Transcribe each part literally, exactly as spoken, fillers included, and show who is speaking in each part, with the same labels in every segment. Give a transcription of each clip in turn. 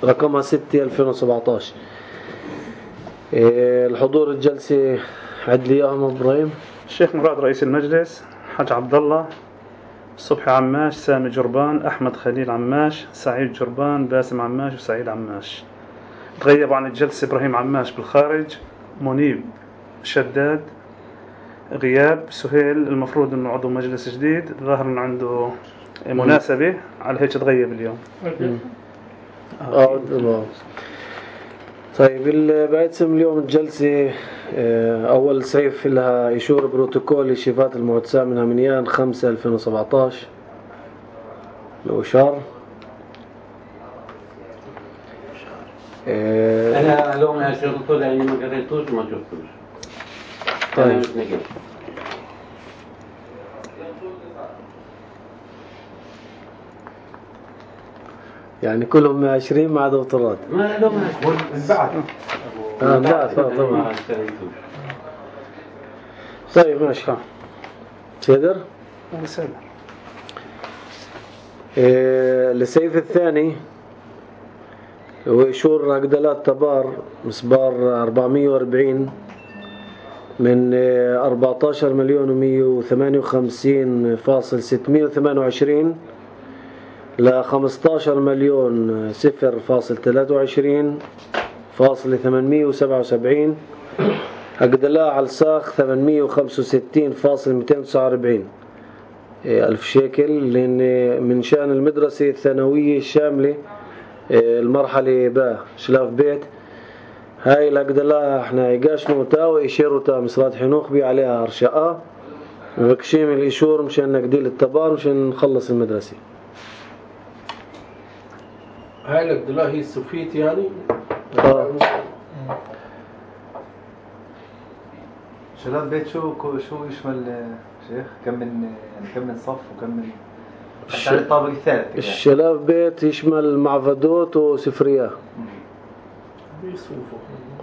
Speaker 1: رقمها ستة ألفين وسبعطعش. الحضور الجلسة عد لي اياهم ابراهيم.
Speaker 2: الشيخ مراد رئيس المجلس، حاج عبد الله، صبحي عماش، سامي جربان، احمد خليل عماش، سعيد جربان، باسم عماش، وسعيد عماش. تغيب عن الجلسة ابراهيم عماش بالخارج، منيب شداد غياب، سهيل المفروض انه عضو مجلس جديد، ظاهر انه عنده مناسبة على هيك تغيب اليوم.
Speaker 1: اه طيب بعتسم اليوم الجلسة أول سيف لها إشور بروتوكول لشيفات المعتسى من همنيان خمسة ألفين وسبعطعش. الأشار
Speaker 3: أنا لو ما شفته لأني ما قريتوش وما شفتوش.
Speaker 1: طيب يعني كلهم مئة وعشرين مع دكتورات.
Speaker 3: ما لو ما بعد.
Speaker 1: آه لا طبعا. طيب ماشي. سيدر.
Speaker 2: سيدر.
Speaker 1: إيه السيف الثاني هو إشور عقدلات تبار مسبار أربعمية وأربعين من أربعتاشر مليون ومية وثمانية وخمسين فاصل ستمية وثمانية وعشرين ل خمستاشر مليون صفر فاصل ثلاثة وعشرين فاصل ثمانمية وسبعة وسبعين. عقدلاء على الساخ ثمانمية وخمسة وستين فاصل مئتين وتسعة وأربعين ألف شيكل، لأن من شأن المدرسة الثانوية الشاملة المرحلة با شلاف بيت. هاي العقدلاء احنا عقاش موتا وإشيروتا مصرات حنوخ بي عليها أرشاء مبكشيم الإشور مشان نقديل التبار مشان نخلص المدرسة.
Speaker 4: هاي العقدلاء هي السوفيت يعني؟
Speaker 1: اه
Speaker 5: شلاف بيت شو شو يشمل شيخ؟ كم من يعني كم من صف وكم من حتى الطابق الثالث؟
Speaker 1: الشلاف بيت يشمل معفدوت وسفريات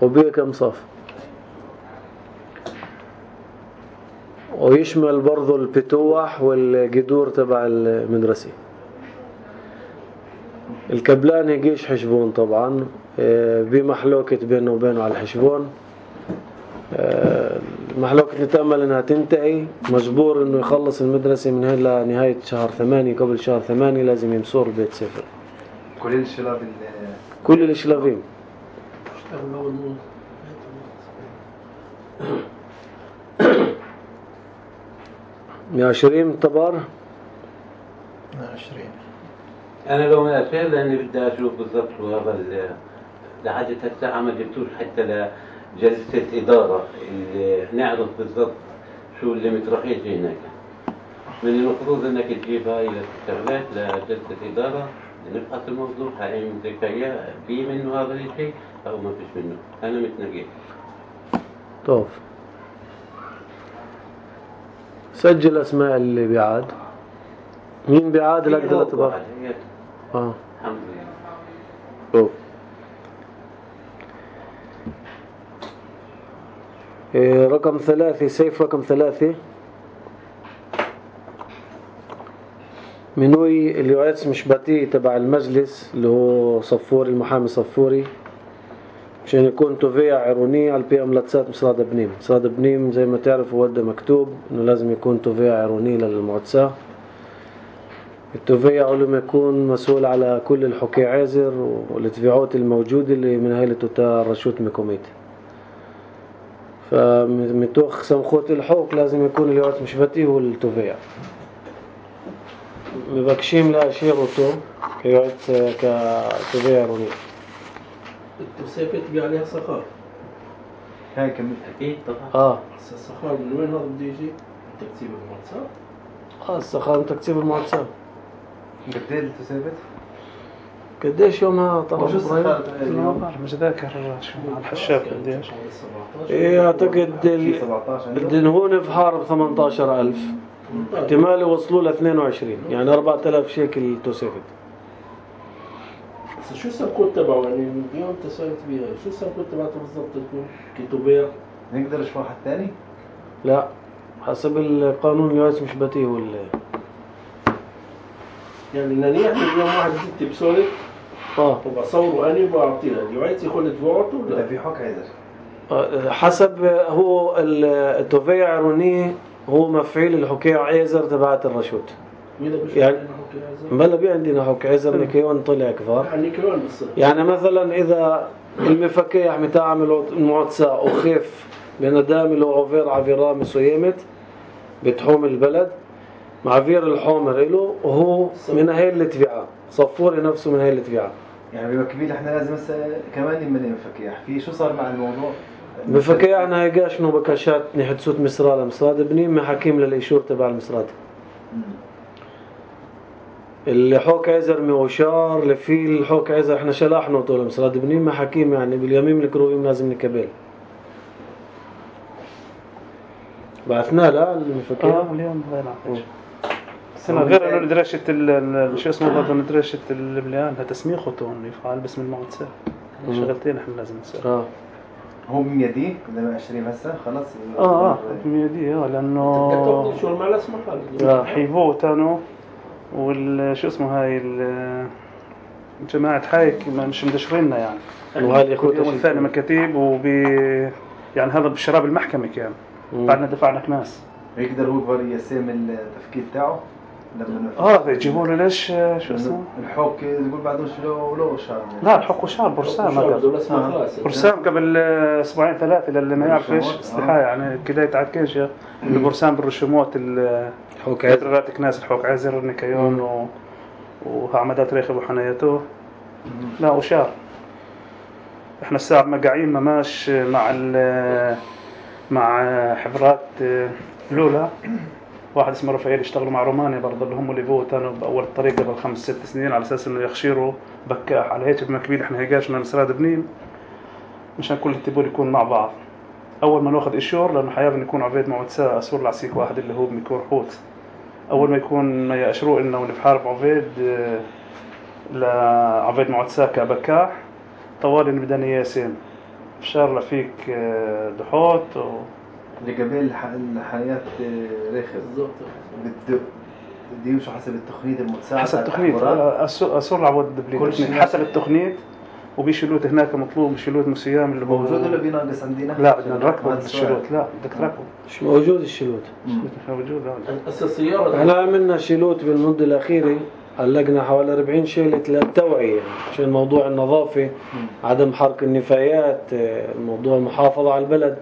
Speaker 1: وبيه كم صف، ويشمل برضو البتوح والقدور تبع المدرسة. الكبلان يجيش حشبون طبعا بمحلوكة بينه وبينه على الحشبون. المحلوكة نتأمل انها تنتهي، مجبور انه يخلص المدرسة من هلا لنهاية شهر ثمانية. قبل شهر ثمانية لازم يمسور البيت سفر.
Speaker 5: كل الشلاف
Speaker 1: كل الشلافين مئة وعشرين طبار.
Speaker 4: مئة وعشرين
Speaker 3: أنا لو ما أشير لأني بدي أشوف بالضبط شو هذا لحد الساعة ما جبتوش حتى لجلسة إدارة اللي نعرف بالضبط شو اللي مترخيش هناك. من المفروض إنك تجيب هاي الشغلات لجلسة إدارة نفحص الموضوع هاي ذكية في منه هذا الشيء أو ما فيش منه. أنا متنقل.
Speaker 1: طوف سجل أسماء اللي بيعاد. مين بيعاد العقدلة تبار؟ اه
Speaker 3: الحمد لله.
Speaker 1: طوف إيه رقم ثلاثة سيف رقم ثلاثة منوي اللي يعيس مشباتي تبع المجلس اللي هو صفوري المحامي صفوري عشان يكون توفيع عيروني على البي املاتسات مصراد بنيم. مصراد بنيم زي ما تعرفوا وده مكتوب انه لازم يكون توفيع عيروني للمعتسى. التوفيع لما يكون مسؤول على كل الحكي عازر والتبعات الموجودة اللي من هاي لتوتا رشوت ميكوميت. فمتوخ سمخوت الحوك لازم يكون اللي يعيس مشباتي هو التوفيع. مبكشيم لا شيرته كيعيس كتوفيع عيروني.
Speaker 4: التوسيفة تبي عليها صخار.
Speaker 5: هاي كم
Speaker 3: أكيد طبعا.
Speaker 1: اه
Speaker 4: الصخار من وين هذا بده يجي؟ تكتيب المعتسى.
Speaker 1: اه الصخار تكتيب المعتسى.
Speaker 5: قديش التوسيفة؟
Speaker 1: قديش يومها طلع
Speaker 2: شو الصخار اليوم؟ مش ذاكر شو على الحشاب قديش.
Speaker 1: ايه اعتقد الدنهون في حارب ثمانية عشر ألف احتمال يوصلوا ل اثنين وعشرين يعني أربعة آلاف شيكل توسيفت.
Speaker 4: شو السمكوت تبعه يعني اليوم تسألت بيها شو السمكوت تبعته بالضبط تكون كتوبير؟
Speaker 5: نقدر نشوف واحد ثاني؟
Speaker 1: لا حسب القانون اليوم مش بتيه ولا
Speaker 4: يعني ننيح اليوم واحد ستة بسولك
Speaker 1: اه
Speaker 4: وبصوره أنا وبعطيه اليوعيتي يخل تبعته
Speaker 5: إذا
Speaker 4: ولا
Speaker 5: في حق عذر.
Speaker 1: آه، حسب هو ال- التوفيق عروني هو مفعيل الحكي عيزر تبعت الرشود.
Speaker 4: مين بيشوف
Speaker 1: يعني-
Speaker 4: يعني حكي عزر؟
Speaker 1: بلا بي عندنا حكي عيزر نكيون طلع كفار.
Speaker 4: يعني كمان بصير
Speaker 1: يعني مثلا إذا المفكيح متاع المعتصاء وخيف بندام له عفير عفيرة مسويمت بتحوم البلد معفير الحومر إله وهو من هاي التبعة صفور نفسه من هاي التبعة.
Speaker 5: يعني بوكبيل احنا لازم هسه كمان نملي مفكيح في شو صار مع الموضوع؟
Speaker 1: بفكيح أنا هيقاش نو بكاشات نحت سوت مسرالة مسراد بني ما حكيم للإيشور تبع المسراد.
Speaker 5: مم.
Speaker 1: اللي حوك عزر موشار لفي الحوك عزر احنا شلاحنا طول مسراد بني ما حكيم يعني باليمين الكروبين لازم نكبل. بعثنا لا المفكيح.
Speaker 2: اه اليوم غير عطيش. سنة غير انه ندرشة ال شو اسمه برضه ندرشة البليان تسميخه يفعل باسم المعتصاء. شغلتين احنا لازم نسوي.
Speaker 1: اه
Speaker 5: هو من يديه لما عشرين هسه خلص.
Speaker 2: اه اه بميدي اه لانه
Speaker 4: تقدر شو المعنى اسمه
Speaker 1: لا.
Speaker 2: حيفو تانو وال شو اسمه هاي ال جماعة حايك ما- مش مدشريننا يعني.
Speaker 1: وهاي الإخوة
Speaker 2: اليوم الثاني مكاتيب وبي يعني هذا بشراب المحكمة كان.
Speaker 1: مم.
Speaker 2: بعدنا دفعنا كناس.
Speaker 5: يقدر هو يقدر يسام التفكير تاعه لما
Speaker 2: اه يجيبوا له ليش شو اسمه؟
Speaker 5: الحوك يقول بعده شلو لو شهر.
Speaker 2: لا الحق وشار برسام
Speaker 4: شو
Speaker 2: هذا.
Speaker 4: بدو اسمه
Speaker 5: آه.
Speaker 4: خلاص
Speaker 2: برسام قبل اسبوعين ثلاثة للي ما يعرفش
Speaker 5: برشامات،
Speaker 2: استحاء يعني كده يتعكش البرسام بالرشومات ال
Speaker 1: حوك عزر.
Speaker 2: قدرات كناس الحوك عزر نكيون و وعمدات ريخب وحنايته. لا وشار. احنا الساعة مقاعين مماش مع ال مع حفرات لولا واحد اسمه رفائيل يشتغلوا مع رومانيا برضه اللي هم اللي فوت كانوا باول الطريق قبل خمس ست سنين على اساس انه يخشيروا بكاح على هيك بمكبيل احنا هيجاشنا مسراد بنين مشان كل التبول يكون مع بعض. اول ما ناخذ اشور لانه حيابن يكون عبيد معتصاء اسور العسيك واحد اللي هو بمكور حوت اول ما يكون ما ياشروا لنا ونبحارب عبيد لعبيد معتصاء كبكاح طوالي بدنا ياسين شار لفيك دحوت و
Speaker 5: اللي قبل الح- الحياة ريخز
Speaker 4: بالضبط
Speaker 5: بده بده يمشوا حسب التقنية المتساعدة.
Speaker 2: حسب التقنيت اسور العبود
Speaker 5: كل شيء
Speaker 2: حسب التقنيت وبيشيلوت هناك مطلوب بيشيلوت مسيام اللي هو
Speaker 5: موجود ولا بيناقص عندنا؟
Speaker 2: لا بدنا نركبه
Speaker 5: هذا السؤال.
Speaker 2: بالشيلوت لا بدك تركبه
Speaker 1: مش موجود الشلوت.
Speaker 5: مم.
Speaker 2: مش موجود هذا
Speaker 4: هسه السيارة
Speaker 1: احنا عملنا شيلوت بالمدة الأخيرة علقنا حوالي أربعين شيلة للتوعية يعني عشان موضوع النظافة عدم حرق النفايات موضوع المحافظة على البلد.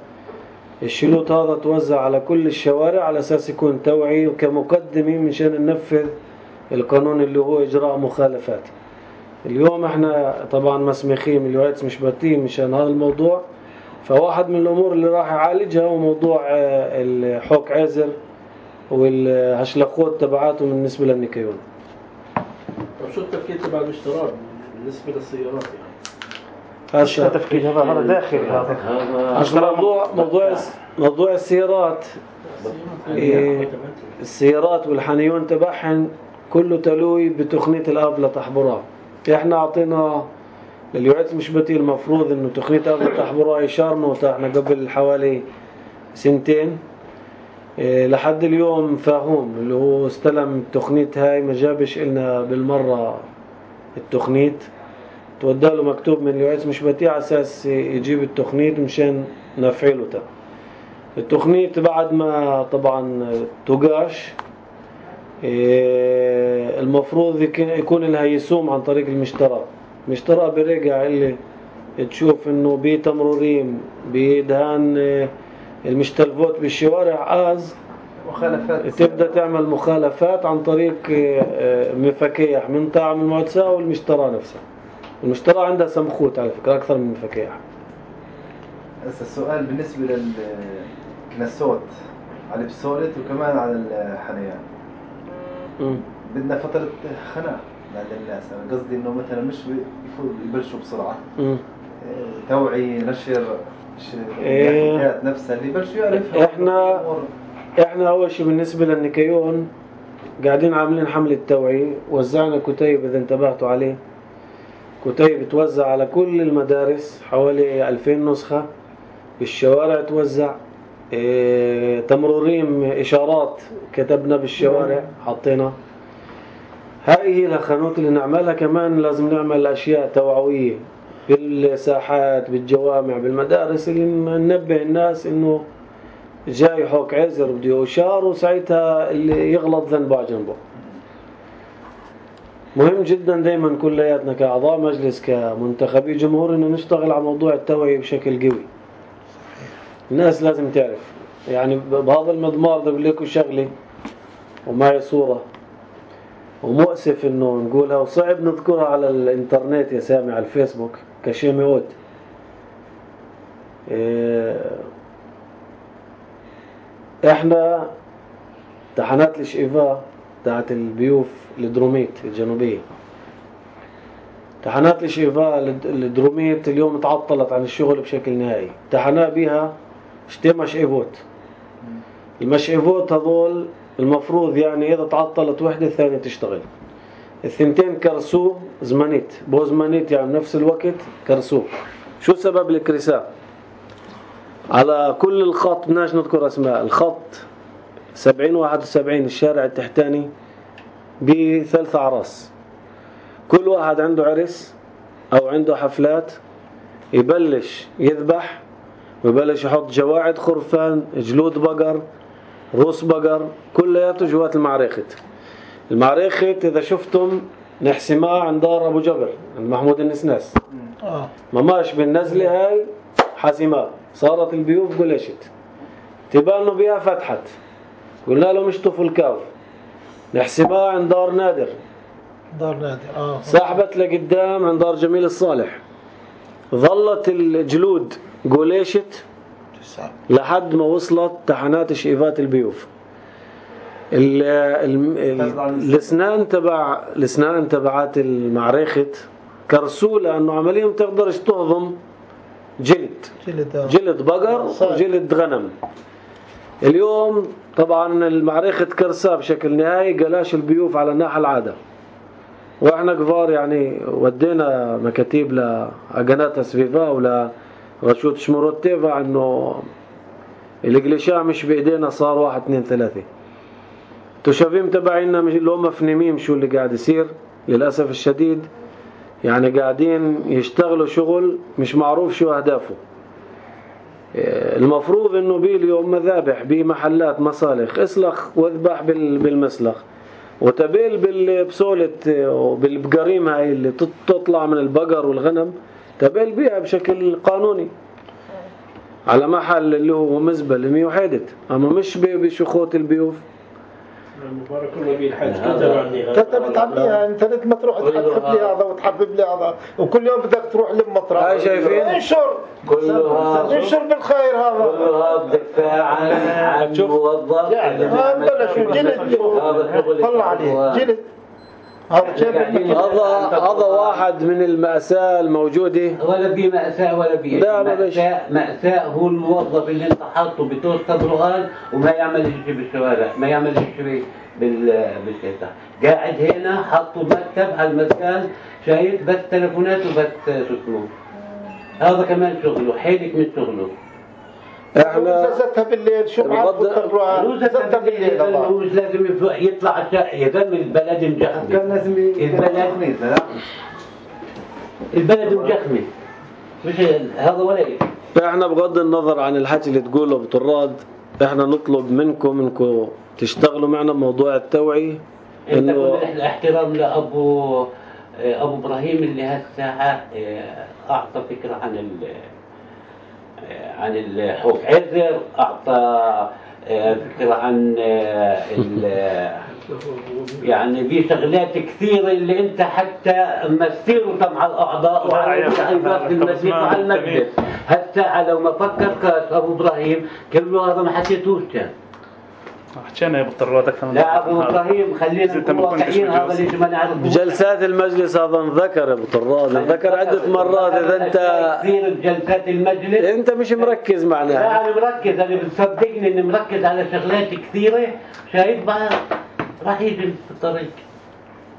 Speaker 1: الشيلوت هذا توزع على كل الشوارع على أساس يكون توعي وكمقدمة مشان ننفذ القانون اللي هو إجراء مخالفات. اليوم احنا طبعا مسمخين اليوعيتس مش باتين مشان هذا الموضوع. فواحد من الأمور اللي راح يعالجها هو موضوع الحوك عزر والهشلخوت تبعاته بالنسبة للنكيون.
Speaker 4: طب شو التفكير تبع الاشتراك بالنسبة للسيارات يعني؟
Speaker 2: مش تفكير هذا هذا داخلي هذا
Speaker 1: هذا موضوع موضوع موضوع السيارات. إيه السيارات والحنيون تبعهن كله تلوي بتقنية الآب لتحبرها. احنا اعطينا لليوعيتس مش بتي المفروض انه تقنية الآب لتحبرها يشارنوا احنا قبل حوالي سنتين. إيه لحد اليوم فاهم اللي هو استلم التقنية هاي ما جابش إلنا بالمرة التقنية تودى له مكتوب من اليوعيتس مش بتي على اساس يجيب التقنية مشان نفعله تا. التقنية بعد ما طبعا توقاش إيه المفروض يكون لها يسوم عن طريق المشترى. المشترى برجع اللي تشوف انه بتمرورين بدهان إيه المشتلفوت بالشوارع آز
Speaker 5: مخالفات
Speaker 1: تبدأ تعمل مخالفات عن طريق إيه مفكيح من طعم المعتصاء والمشترى نفسها. المشترى عندها سمخوت على فكرة أكثر من مفكيح.
Speaker 5: هسه السؤال بالنسبة للكنسوت على البسولت وكمان على الحنيان.
Speaker 1: مم.
Speaker 5: بدنا فترة خناق عند الناس. أنا قصدي إنه مثلا مش يفوت يبلشوا بسرعة.
Speaker 1: مم.
Speaker 5: توعي نشر
Speaker 1: إيه.
Speaker 5: الحكايات نفسها اللي يبلشوا يعرف.
Speaker 1: إحنا إحنا أول شيء بالنسبة للنكيون قاعدين عاملين حملة توعية وزعنا كتيب إذا انتبهتوا عليه. كتيب توزع على كل المدارس حوالي ألفين نسخة بالشوارع توزع. إيه تمرورين إشارات كتبنا بالشوارع حطينا. هاي هي الخانوت اللي نعملها. كمان لازم نعمل أشياء توعوية بالساحات، بالجوامع، بالمدارس، اللي ننبه الناس إنه جاي حوك عزر بده يوشار، وساعتها اللي يغلط ذنبه على جنبه. مهم جدا دايما كلياتنا كأعضاء مجلس كمنتخبي جمهور إنه نشتغل على موضوع التوعية بشكل قوي. الناس لازم تعرف. يعني بهذا المضمار ده بقول لكم شغلة ومعي صورة ومؤسف إنه نقولها وصعب نذكرها على الإنترنت يا سامي على الفيسبوك كشيء مئوت. إيه إحنا تحنات الشئفاء تاعت البيوف الدروميت الجنوبية، تحنات الشئفاء الدروميت اليوم تعطلت عن الشغل بشكل نهائي. تحنا بيها شتي مشئفوت. المشئفوت هذول المفروض يعني إذا تعطلت وحدة الثانية تشتغل. الثنتين كرسو زمانيت بو زمانيت يعني نفس الوقت كرسو. شو سبب الكرساء؟ على كل الخط بدناش نذكر اسماء. الخط سبعين واحد وسبعين الشارع التحتاني بثلاث أعراس، كل واحد عنده عرس أو عنده حفلات يبلش يذبح ويبلش يحط جواعد خرفان، جلود بقر، روس بقر، كلياته جوات المعريخت. المعريخت إذا شفتم نحسمها عند دار أبو جبر عند محمود النسناس، مماش بالنزلة هاي حاسمها صارت البيوف قلشت تبانوا بيها فتحت. قلنا لهم اشطفوا الكاف. نحسمها عند دار نادر،
Speaker 6: دار نادر اه
Speaker 1: سحبت لقدام عند دار جميل الصالح. ظلت الجلود قليشت لحد ما وصلت تحنات شئفات البيوف. الاسنان تبع الاسنان تبعات المعريخت كرسوا لانه عمليا تقدرش تهضم جلد
Speaker 6: جلد,
Speaker 1: جلد بقر وجلد غنم. اليوم طبعا المعريخت كرسا بشكل نهائي قلاش البيوف على الناحية العادة. واحنا كفار يعني ودينا مكاتيب لعقنات اسفيفا ولا رشوت شمروت تيفا انه القلشاء مش بايدينا، صار واحد اثنين ثلاثة. تشافيم تبعينا مش اللي هم مفهمين شو اللي قاعد يصير للأسف الشديد. يعني قاعدين يشتغلوا شغل مش معروف شو أهدافه. المفروض انه بي اليوم مذابح بمحلات مصالخ اسلخ واذبح بالمسلخ، وتبيل بالبسولة وبالبقريم هاي اللي تطلع من البقر والغنم تبيل بيها بشكل قانوني على محل اللي هو مزبل مية وحيدة، اما مش بشخوت البيوف.
Speaker 4: مبارك الله بيه الحج كتب عني
Speaker 6: انت بتعمليها انت لما تروح تحبب لي هذا وتحبب لي هذا وكل يوم بدك تروح للمطرح.
Speaker 1: هاي شايفين
Speaker 6: انشر
Speaker 3: كلها
Speaker 6: انشر بالخير هذا
Speaker 3: كلها بدفاع عن عن موظف
Speaker 6: يعني ما بلاش جلد طلع عليه جلد.
Speaker 1: هذا هذا واحد من المأساة الموجودة.
Speaker 3: ولا بي مأساة ولا بي مأساة. مأساة هو الموظف اللي انت حاطه بتوست برغان وما يعمل شيء بالشوارع، ما يعمل شيء بال بالشتاء. قاعد هنا حطوا مكتب على المسكن شايف بس تلفونات وبس شو اسمه. هذا كمان شغله حيلك من شغله.
Speaker 6: احنا زتها بالليل شو معك بتطلعوا زتها بالليل
Speaker 3: هو مش لازم يطلع يدم البلد مجخمي.
Speaker 5: كان لازم
Speaker 3: البلد البلد مجخمي مش هذا ولا شيء.
Speaker 1: احنا بغض النظر عن الحكي اللي تقوله ابو طراد، احنا نطلب منكم انكم تشتغلوا معنا بموضوع التوعية.
Speaker 3: انه الاحترام لابو ابو ابراهيم اللي هالساعة اعطى فكرة عن ال عن الحوف عزر، أعطى فكرة عن يعني في شغلات كثيرة اللي أنت حتى مسيرته مع الأعضاء وعلى المجلس مع المجلس هالساعة لو ما فكر أبو إبراهيم كله هذا ما حكيتوش كان.
Speaker 2: حكينا يا ابو طراد اكثر من
Speaker 3: لا ابو ابراهيم خلينا نكون واقعيين. هذا اللي ما نعرف
Speaker 1: جلسات المجلس هذا انذكر يا ابو طراد، انذكر عده مرات. اذا انت
Speaker 3: كثير بجلسات المجلس
Speaker 1: انت مش مركز معنا.
Speaker 3: لا انا مركز، انا بتصدقني اني مركز على شغلات كثيره. شايف بقى راح يجي في الطريق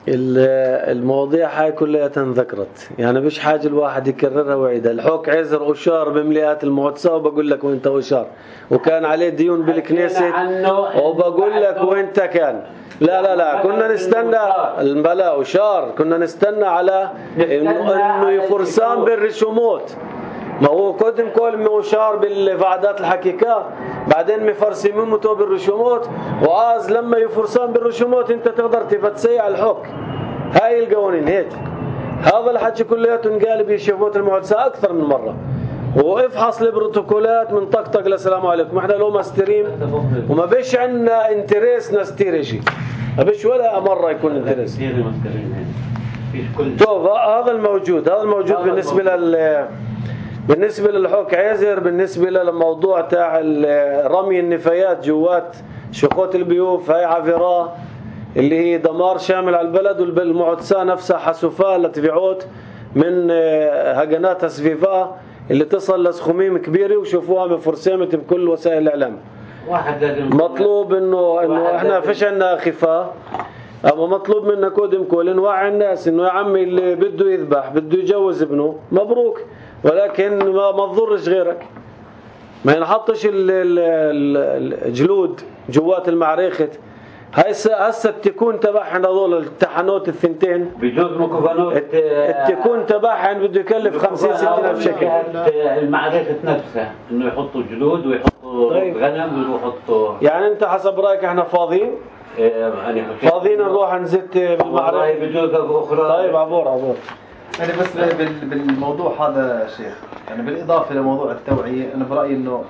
Speaker 1: المواضيع هاي كلها ذكرت، يعني مش حاجة الواحد يكررها ويعيدها. الحوك عزر أشار بمليئات المعتصة وبقول لك وانت أشار، وكان عليه ديون بالكنيسة وبقول لك وانت كان. لا لا لا كنا نستنى البلاء أشار، كنا نستنى على انه يفرسان بالرسومات. ما هو قدم كل مشار بالفعدات الحقيقة، بعدين مفرسمين متو بالرسومات، وآز لما يفرسان بالرسومات انت تقدر تفتسي على الحك. هاي القوانين هيك. هذا الحكي كلياته انقال بشفوت المعتصة أكثر من مرة. وافحص البروتوكولات من طقطق للسلام عليكم. احنا لو مستريم وما بيش عندنا انتريس نستيري شيء. ما بيش ولا مرة يكون انتريس. طيب هذا الموجود، هذا الموجود بالنسبة لل بالنسبة للحوك عزر. بالنسبة للموضوع تاع رمي النفايات جوات شقوط البيوف، هاي عفراه اللي هي دمار شامل على البلد، والمعتصة نفسها حسوفاه لتبيعوت من هجنات سفيفاه اللي تصل لسخوميم كبيرة وشوفوها مفرسمة بكل وسائل الإعلام. مطلوب إنه إنه إحنا فيش عنا خفاء، أما مطلوب منا كودم كل نوعي الناس إنه يا عمي اللي بده يذبح بده يجوز ابنه مبروك، ولكن ما ما تضرش غيرك. ما ينحطش الجلود جوات المعركة. هسه هسه التكون تبعهن هذول التحنوت الثنتين
Speaker 3: بجوز مكوفانوت
Speaker 1: التكون تبعهن بده يكلف خمسين ستين ألف شكل.
Speaker 3: المعركة نفسها إنه يحطوا جلود ويحطوا طيب. غنم ويحطوا.
Speaker 1: يعني أنت حسب رأيك إحنا فاضيين؟
Speaker 3: يعني
Speaker 1: فاضيين نروح نزت بالمعركة
Speaker 3: بجوز أخرى.
Speaker 1: طيب عبور عبور.
Speaker 5: يعني بس بالموضوع هذا شيخ، يعني بالإضافة لموضوع التوعية، أنا برأيي إنه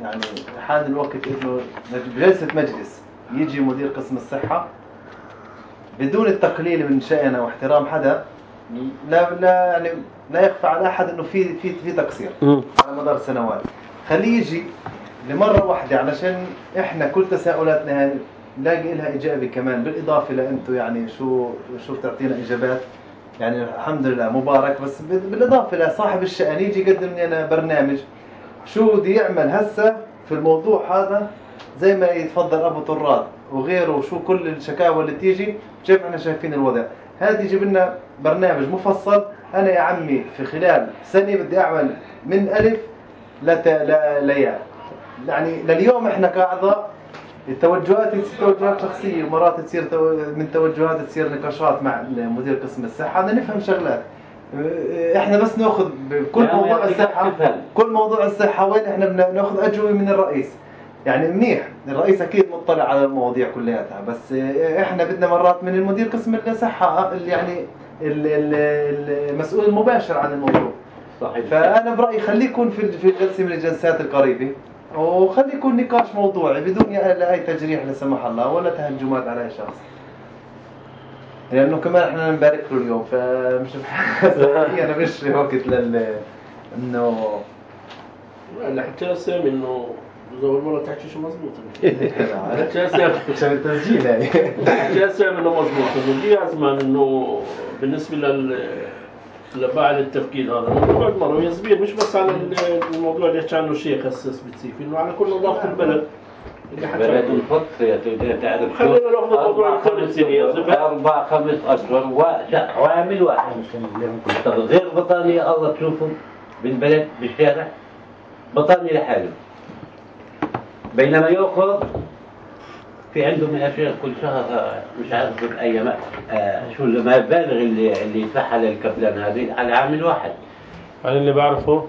Speaker 5: يعني حان الوقت إنه بجلسة مجلس يجي مدير قسم الصحة بدون التقليل من شأنه واحترام حدا، لا لا يعني لا يخفى على أحد إنه في في في تقصير على مدار سنوات. خليه يجي لمرة واحدة علشان إحنا كل تساؤلاتنا نلاقي لها إجابة كمان، بالإضافة لأنتوا يعني شو شو بتعطينا إجابات. يعني الحمد لله مبارك، بس بالإضافة لصاحب الشأن يجي يقدم لنا برنامج شو بدي يعمل هسه في الموضوع هذا، زي ما يتفضل أبو طراد وغيره، شو كل الشكاوى اللي تيجي كيف احنا شايفين الوضع. هذا يجيب لنا برنامج مفصل. أنا يا عمي في خلال سنة بدي أعمل من ألف لياء. يعني لليوم احنا كأعضاء التوجهات تصير توجهات شخصية، ومرات تصير من توجهات تصير نقاشات مع مدير قسم الصحة. بدنا نفهم شغلات. احنا بس ناخذ بكل موضوع الصحة، كل موضوع الصحة وين احنا بناخذ أجوبة من الرئيس. يعني منيح الرئيس أكيد مطلع على المواضيع كلياتها، بس احنا بدنا مرات من المدير قسم الصحة يعني المسؤول المباشر عن الموضوع.
Speaker 3: صحيح.
Speaker 5: فأنا برأيي خليه يكون في في جلسة من الجلسات القريبة، وخلي يكون نقاش موضوعي بدون أي تجريح لا سمح الله ولا تهجمات على أي شخص، لأنه كمان إحنا نبارك له اليوم. فمش أنا مش وقت لل إنه
Speaker 4: الحكي سامي إنه زول مرة تحكي شو مزبوط.
Speaker 5: الحكي سامي عشان التسجيل يعني.
Speaker 4: الحكي سامي إنه مزبوط. إنه دي أزمان إنه بالنسبة لل لبعد التفكير هذا الموضوع مرة يزبير، مش بس على الموضوع اللي يحكي عنه الشيخ هسه سبيسيفي، إنه على كل نظافة البلد اللي حكى عنه.
Speaker 3: الفطر يا تودي تعرف
Speaker 4: خلينا ناخذ الموضوع الثالث سنة
Speaker 3: أربع خمس أشهر وعامل واحد غير بطانية الله تشوفهم بالبلد بالشارع بطانية لحاله، بينما يأخذ في عندهم يا شيخ كل شهر مش عارف بأي آه شو المبالغ اللي اللي يدفعها للكبلان هذه على عامل واحد.
Speaker 7: أنا اللي بعرفه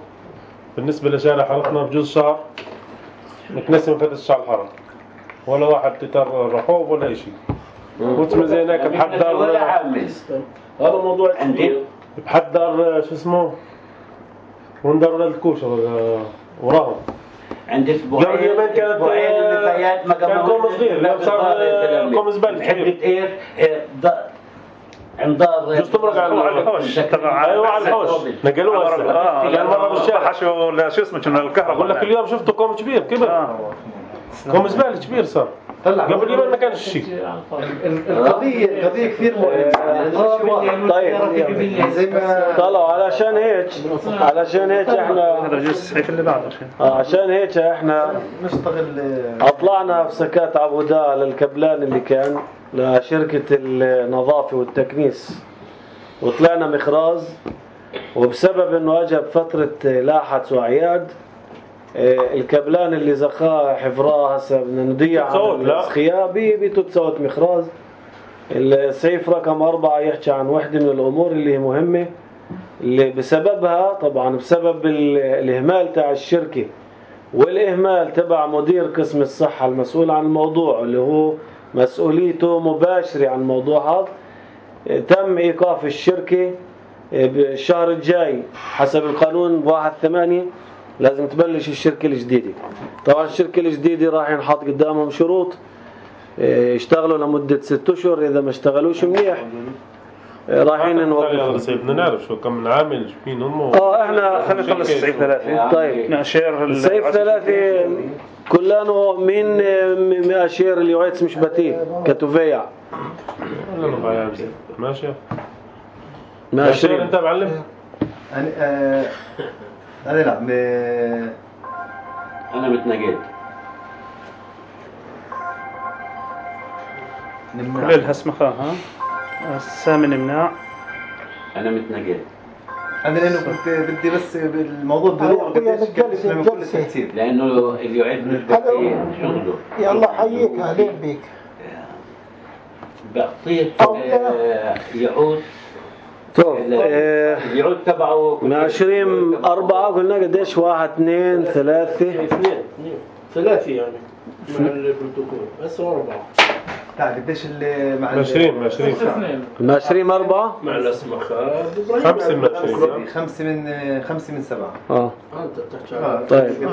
Speaker 7: بالنسبة لشارع حارتنا بجوز شهر نتنسم فتش شعر الحرم ولا واحد تتر رحوب ولا شيء. كنت زينك بحضر
Speaker 3: ولا عامل.
Speaker 4: هذا موضوع
Speaker 3: عندي
Speaker 7: بحضر شو اسمه وندر الكوشة وراهم.
Speaker 3: عند اسبوعين
Speaker 7: يومين كانت
Speaker 3: النفايات ما
Speaker 7: كان كوم صغير، اليوم صار كوم زبالة كبير.
Speaker 3: ايش عند دار
Speaker 7: جوز تمرق على الحوش. ايوه على الحوش نقلوها هسه. اه يعني مرة بالشارع
Speaker 2: حشو ولا شو اسمه كنا الكهرباء.
Speaker 7: اقول لك اليوم شفته كوم كبير كبر. كوم زبالة كبير صار. قبل يومين ما كانش شيء.
Speaker 5: القضية القضية كثير مهمة.
Speaker 1: طيب زي ما طلعوا علشان هيك علشان هيك احنا
Speaker 2: هذا الجزء الصحيح اللي بعده
Speaker 1: عشان هيك احنا
Speaker 5: نشتغل
Speaker 1: اطلعنا في سكات عبوداء للكبلان اللي كان لشركة النظافة والتكنيس، وطلعنا مخراز، وبسبب انه اجى بفترة لاحت وأعياد الكبلان اللي زخاه حفراه هسه بدنا نضيع عن السخياء بتوتسوت مخراز. السيف رقم أربعة يحكي عن وحدة من الأمور اللي هي مهمة، اللي بسببها طبعا بسبب الإهمال تاع الشركة والإهمال تبع مدير قسم الصحة المسؤول عن الموضوع اللي هو مسؤوليته مباشرة عن الموضوع هذا، تم إيقاف الشركة بالشهر الجاي حسب القانون بواحد ثمانية لازم تبلش الشركة الجديدة. طبعا الشركة الجديدة راح ينحط قدامهم شروط، يشتغلوا لمدة ست أشهر، إذا ما اشتغلوش منيح رايحين نوقف.
Speaker 7: بدنا نعرف شو كم من عامل مين هم.
Speaker 1: اه احنا
Speaker 2: خلينا نخلص السيف ثلاثة.
Speaker 1: طيب
Speaker 2: نأشير
Speaker 1: السيف ثلاثة كلانو مين مأشير اللي وعيتس مش بتيه كتوفيع.
Speaker 7: ماشي
Speaker 1: ماشي
Speaker 7: انت معلم.
Speaker 5: انا آه انا لا م...
Speaker 3: انا متنقل
Speaker 2: كل الهسمخة ها السامن نمنع.
Speaker 3: انا متنقل
Speaker 5: انا لانه كنت بدي بس بالموضوع بلوغ قديش كان كل ترتيب
Speaker 3: لانه اللي يعد مش بكتير شغله.
Speaker 6: يلا حييك اهلين بيك.
Speaker 3: بعطيه يعود
Speaker 1: طب
Speaker 3: اليعود تبعه
Speaker 1: من عشرين أربعة قلنا قديش؟ واحد اثنين ثلاثة
Speaker 4: اثنين ثلاثة يعني مع البروتوكول بس أربعة.
Speaker 5: تعال قديش اللي مع
Speaker 7: عشرين عشرين
Speaker 1: من عشرين أربعة
Speaker 4: مع الأسمخة
Speaker 7: خمسة من عشرين
Speaker 5: خمسة من خمسة من سبعة.
Speaker 1: اه
Speaker 4: أنت تحكي.
Speaker 1: طيب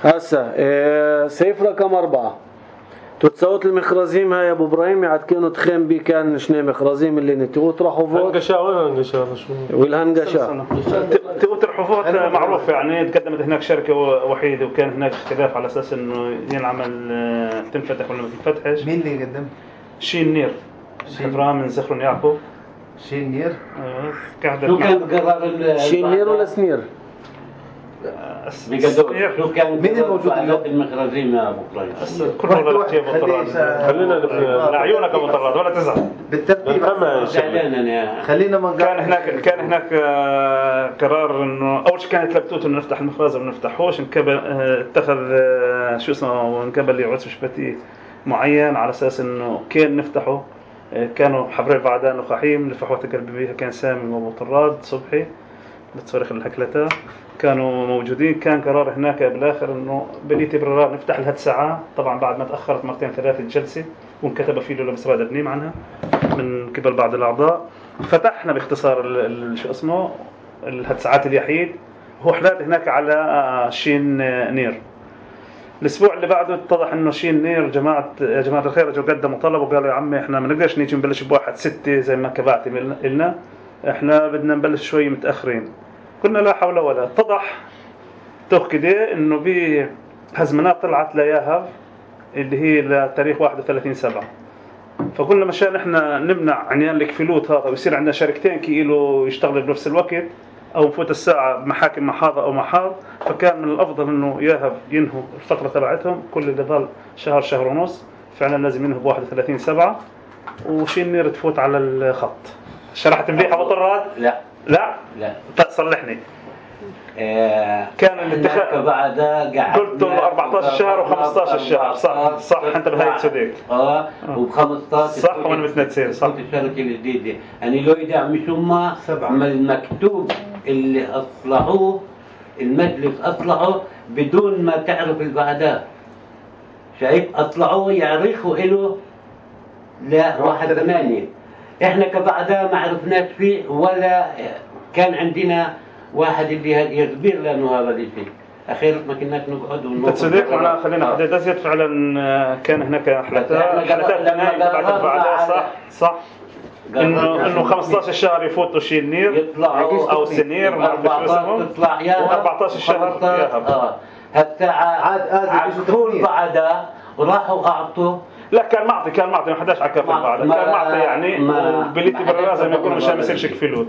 Speaker 1: هسا إيه سيف رقم أربعة تتصوت المخرزيم هاي ابو ابراهيم يعد كانوا تخيم بي كان شنو مخرزيم اللي نتوت راحوا فوت
Speaker 7: هنقشا وين هنقشا شو
Speaker 1: والهنقشا
Speaker 2: تقوت الحفوظ معروف يعني تقدمت هناك شركة وحيدة وكان هناك اختلاف على اساس انه ينعمل تنفتح ولا ما تنفتحش.
Speaker 5: مين اللي قدم؟
Speaker 2: شين نير حفرها من زخرون يعقوب.
Speaker 5: شين نير
Speaker 3: شو كان قرار
Speaker 1: شين نير ولا سنير؟
Speaker 3: بقدر شو كان
Speaker 5: مين الموجود
Speaker 3: اليوم المخرزين يا ابو ابراهيم؟
Speaker 2: كل واحد ابو طراد
Speaker 7: خلينا
Speaker 2: لعيونك ابو طراد ولا تزعل
Speaker 5: بالترتيب.
Speaker 3: خلينا
Speaker 5: ما
Speaker 2: كان هناك كان هناك قرار انه اول شيء كانت لبتوت انه نفتح المخرز وما نفتحوش. انكبل اتخذ شو اسمه انكبل لي عرس شبتي معين على اساس انه كان نفتحه. كانوا حبري بعدان وخحيم لفحوة قلبي بيها كان سامي وابو طراد صبحي بتصرخ الهكلتا كانوا موجودين. كان قرار هناك بالاخر انه بليتي برار نفتح لها ساعه. طبعا بعد ما تاخرت مرتين ثلاثه الجلسه وانكتب فيه له لبس راد بنيم عنها من قبل بعض الاعضاء. فتحنا باختصار شو اسمه الهتساعات اليحيد. هو حلال هناك على شين نير. الاسبوع اللي بعده اتضح انه شين نير جماعه يا جماعه الخير اجوا قدموا طلب وقالوا يا عمي احنا ما نقدرش نيجي نبلش بواحد ستة زي ما كبعتي لنا، احنا بدنا نبلش شوي متاخرين. قلنا لا حول ولا. اتضح توخ كده انه بهزمنات طلعت لياهب اللي هي لتاريخ واحد وثلاثين سبعة. فقلنا مشان احنا نمنع عنيان الكفلوت هذا ويصير عندنا شركتين كيلو يشتغلوا بنفس الوقت او نفوت الساعه محاكم محاض او محاض. فكان من الافضل انه ياهب ينهوا الفتره تبعتهم كل اللي ضل شهر شهر ونص فعلا لازم ينهوا ب واحد وثلاثين سبعة وشين نير تفوت على الخط. شرحت مليح ابو طراد؟
Speaker 3: لا
Speaker 2: لا
Speaker 3: لا
Speaker 2: صلحني.
Speaker 3: آه
Speaker 2: كان الاتخاذ
Speaker 3: بعدها
Speaker 2: قلت له أربعة عشر شهر و15 شهر صح صح انت بهيك صديق
Speaker 3: اه وب15
Speaker 2: صح وانا متنسين صح
Speaker 3: الشركه الجديده يعني لو يدعم ثم المكتوب اللي اصلحوه المجلس اصلحه بدون ما تعرف البعداء. شايف اصلحوه يعرفوا له لا واحد ثمانية. احنا كبعداء ما عرفناش فيه ولا كان عندنا واحد اللي يخبر لنا هذا الشيء. اخيرا ما كناش نقعد
Speaker 2: ونقعد تصدق معنا خلينا حدد ازيد فعلا كان هناك حلقات حلقات ثنائيه تبعت بعدها صح صح انه انه خمسطعش شهر يفوتوا شيء النير
Speaker 3: يطلعوا
Speaker 2: او سنير ما بعرف شو اسمهم و14 شهر ياهب.
Speaker 3: اه هالساعه
Speaker 5: عاد ازي
Speaker 3: طول بعدها وراحوا اعطوا.
Speaker 2: لا كان معطي كان معطي ما حداش على كف بعد كان معطي يعني بليتي بالراس زي ما يقولوا مشان ما يصيرش كفلوت.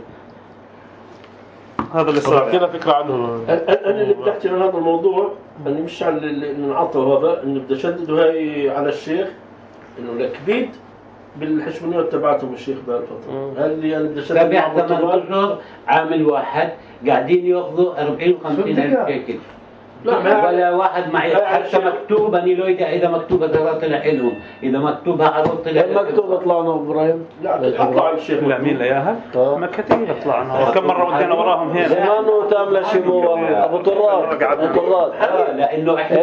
Speaker 2: هذا اللي صار
Speaker 7: كنا فكره عنه.
Speaker 4: انا اللي بدي احكي عن هذا الموضوع اني مش على اللي انعطوا هذا انه بدي اشدد هاي على الشيخ انه الكبيد بالحشمونيات تبعتهم الشيخ ذا الفترة. هل اللي انا بدي اشتغل
Speaker 3: سبع ثمان اشهر عامل واحد قاعدين ياخذوا أربعين وخمسين الف شيكل. لا ولا واحد معي حتى مكتوب اني لو اذا اذا مكتوب هذا طلع لهم، اذا مكتوب عرض طلع
Speaker 1: مكتوب طلعنا ابراهيم.
Speaker 4: لا اطلع الشيخ
Speaker 2: لا مين لياها؟ ما كثير طلعنا كم مره ودينا وراهم هنا.
Speaker 1: زمانه تامله شمو ابو طراد ابو طراد
Speaker 3: لانه احنا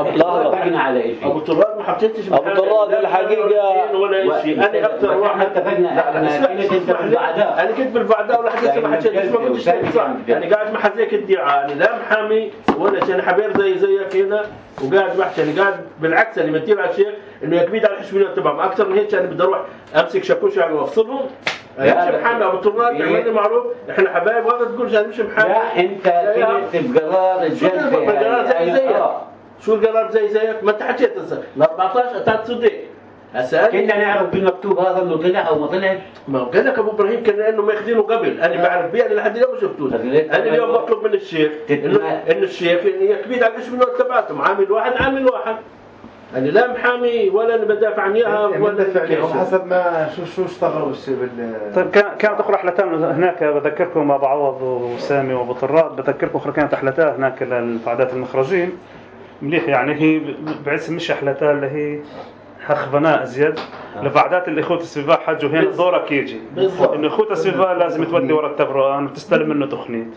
Speaker 3: اتفقنا على شيء.
Speaker 4: ابو طراد ما حطيتش
Speaker 1: ابو طراد الحقيقه
Speaker 4: ولا شيء. انا اكثر واحد
Speaker 3: اتفقنا احنا كنت انت بالبعداء،
Speaker 4: انا كنت بالبعداء ولا حكيت ما حكيت ما كنتش صح. يعني قاعد محزيك الدعاء، انا لا محامي ولا شيء، انا حبير زي زيك هنا وقاعد بحكي. انا قاعد بالعكس اللي بتير على الشيخ انه يكبيد على الحشميات تبعهم اكثر من هيك. انا بدي اروح امسك شاكوش يعني وافصلهم. انا مش محامي ابو طراد، اعمل لي معروف احنا حبايب وهذا تقول انا مش محامي.
Speaker 3: لا انت كنت بقرار الجلسه
Speaker 4: بقرار زي زيك. شو القرار زي زيك؟ ما انت حكيت هسه ال أربعطعش اتات صديق. هسه
Speaker 3: كنا نعرف بالمكتوب هذا انه طلع او ما طلعش.
Speaker 4: ما هو قال لك ابو ابراهيم كان انه ماخذينه قبل، انا بعرف بيه، انا لحد اليوم ما شفتوش. انا اليوم بطلب من الشيخ انه انه الشيخ يكبيد على الحشميات تبعتهم عامل واحد عامل واحد. أنا لا محامي ولا أنا بدافع عن إياها ولا
Speaker 5: بدافع عنهم حسب ما شو شو اشتغلوا الشيء بال.
Speaker 2: طيب كانت أخرى رحلتان هناك بذكركم أبو عوض وسامي وأبو طراد، بذكركم أخرى كانت رحلتان هناك للفعادات المخرجين مليح. يعني هي بعث مش رحلتان اللي هي هخبناء أزيد لفعادات الإخوة السباع حجوا هنا دورك يجي إنه إخوة السباع لازم تودي ورا التبران وتستلم منه تخنيت،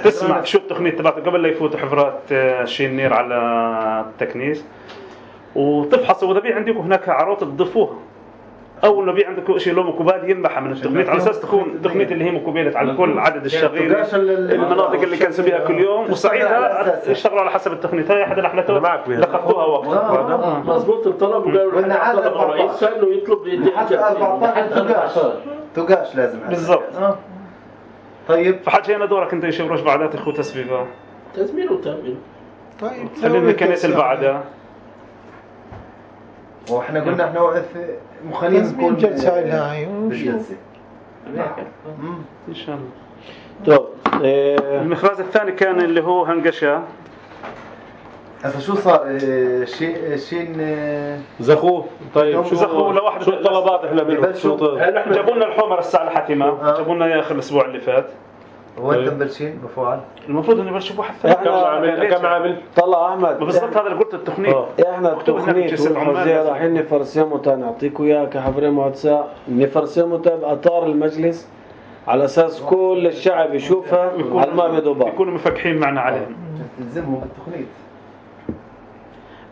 Speaker 2: تسمع شو التخنيت تبعته قبل لا يفوتوا حفرات شين نير على التكنيس، وتفحصوا واذا في عندكم هناك عروض تضيفوها. اول ما بي عندكم شيء له مكوبال ينبح من التقنيات على اساس تكون التقنيات اللي هي مكوبلت على كل عدد الشغيل المناطق اللي كان بيها كل يوم، وساعتها اشتغلوا على حسب التقنيات. هاي احد الاحلام لقطوها وقت
Speaker 4: مضبوط. الطلب وقالوا طلب الرئيس انه يطلب
Speaker 5: تقاش لازم
Speaker 2: بالضبط.
Speaker 5: طيب
Speaker 2: فحاجه هنا دورك انت يا شيخ بعدات اخوه تسبيبه
Speaker 4: تزميل وتامين.
Speaker 6: طيب
Speaker 2: خلينا كنيس البعدة.
Speaker 5: واحنا قلنا احنا وقف مخلين نكون
Speaker 6: جلسة هاي
Speaker 5: بالجلسة
Speaker 2: ان شاء الله.
Speaker 1: طب
Speaker 2: المخراج الثاني كان اللي هو هنقشة.
Speaker 5: هسه شو صار شيء شين
Speaker 7: زخوه. طيب شو
Speaker 2: زخوه لواحد
Speaker 7: شو الطلبات احنا منهم؟ شو
Speaker 2: جابوا لنا الحمر الساعة الحتمة، جابوا لنا اخر الاسبوع اللي فات.
Speaker 5: هو انت مبلشين بفعل؟
Speaker 2: المفروض انه يبلشوا بواحد ثاني.
Speaker 7: كم عامل كم عامل؟
Speaker 1: طلع احمد
Speaker 2: بالضبط هذا اللي قلت التقنية.
Speaker 1: احنا التقنية والحوزية رايحين نفرسمه تا نعطيكم اياه كحفرين مهندسة، نفرسمه تا باطار المجلس على اساس كل الشعب يشوفها على ما بدوبها.
Speaker 2: يكونوا مفكحين معنا عليهم.
Speaker 5: تلزمهم بالتقنية.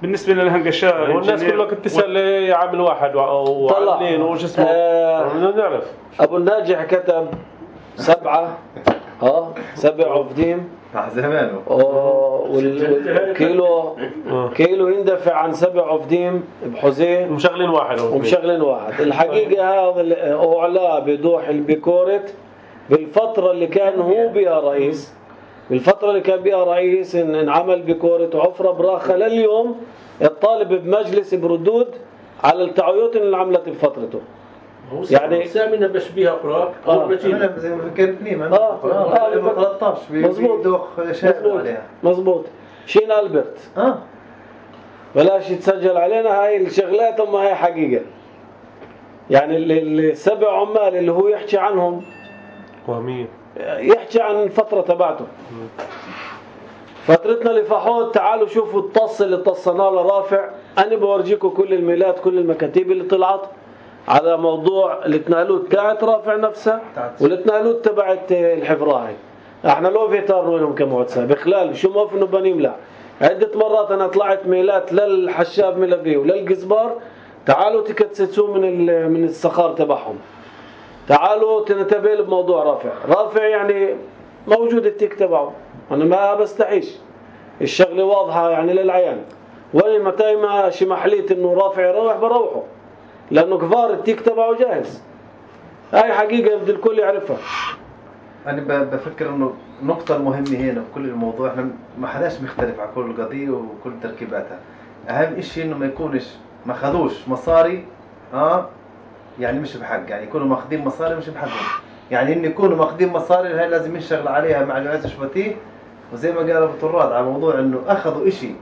Speaker 2: بالنسبة للهنقشاء
Speaker 7: والناس كلها كنت تسأل عامل واحد وعاملين وش اسمه. بدنا نعرف.
Speaker 1: ابو الناجح كتب سبعة ها سبع عفديم
Speaker 5: زمانه
Speaker 1: والكيلو كيلو يندفع عن سبع عفديم بحوزين
Speaker 7: ومشغلين واحد
Speaker 1: ومشغلين واحد. الحقيقة هذا أعلى بدوح البيكورت بالفترة اللي كان هو بها رئيس، بالفترة اللي كان بها رئيس انعمل بيكورت وعفرة براخة. لليوم الطالب بمجلس بردود على التعويضات اللي عملت بفترته.
Speaker 4: يعني سامينا بشبيه اقراك
Speaker 5: اه زي ما فكرتني ما اه اه ثلاثة عشر
Speaker 1: مظبوط مظبوط شين ألبرت
Speaker 5: اه
Speaker 1: بلاش يتسجل علينا هاي الشغلات. هم هاي حقيقة يعني السبع عمال اللي هو يحكي عنهم
Speaker 7: وهمية
Speaker 1: يحكي عن الفترة تبعته. فترتنا لفحوت تعالوا شوفوا الطص اللي طصناه لرافع. أنا بورجيكم كل الميلات كل المكاتيب اللي طلعت على موضوع الاتنالوت تاعت رافع نفسه والاتنالوت تبعت الحفراهي. احنا لو فيتارنا لهم كمعتسى بخلال شو ما فينا بنملع. عدة مرات انا طلعت ميلات للحشاب ملبي وللجزبار تعالوا تكتسسوا من من السخار تبعهم، تعالوا تنتبه بموضوع رافع. رافع يعني موجود التيك تبعه، انا ما بستحيش الشغله واضحه يعني للعيان. وين متى ما شي محليت انه رافع يروح بروحه لانه كفار التيك تبعه جاهز. هاي حقيقه بدي الكل يعرفها.
Speaker 5: انا بفكر انه النقطه المهمه هنا بكل الموضوع احنا ما حداش مختلف على كل القضيه وكل تركيباتها. اهم شيء انه ما يكونش ما خذوش مصاري اه يعني مش بحق، يعني يكونوا ماخذين مصاري مش بحقهم. يعني ان يكونوا ماخذين مصاري هاي لازم نشتغل عليها مع الوعي الشبطي. وزي ما قال ابو طراد على موضوع انه اخذوا شيء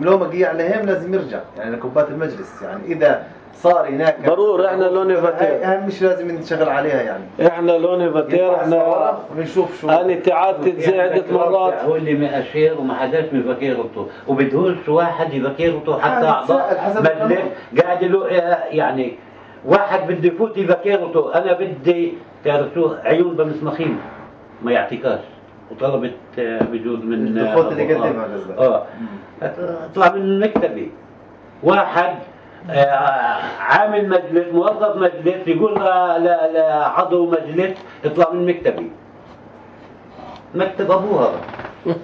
Speaker 5: لو ما قيع عليهم لازم يرجع يعني لكوبات المجلس. يعني اذا صار هناك
Speaker 1: ضروري احنا لوني
Speaker 5: هاي
Speaker 1: فاتير،
Speaker 5: اهم شيء لازم نشتغل عليها يعني.
Speaker 1: احنا لوني فاتير احنا
Speaker 5: بنشوف شو
Speaker 1: انا تعادت زادت مرات.
Speaker 3: هو اللي مأشير وما حداش بفكيرته وبدهوش واحد يفكيرته حتى اعضاء مجلس قاعد له يعني واحد بده يفوت يفكيرته انا بدي تعرف شو عيون بمسمخين ما يعطيكاش وطلبت بجوز من
Speaker 5: الدخول اللي قدمها قصدك
Speaker 3: اه اطلع من مكتبي واحد آه عامل مجلس موظف مجلس يقول لعضو مجلس اطلع من مكتبي مكتب ابوه هذا.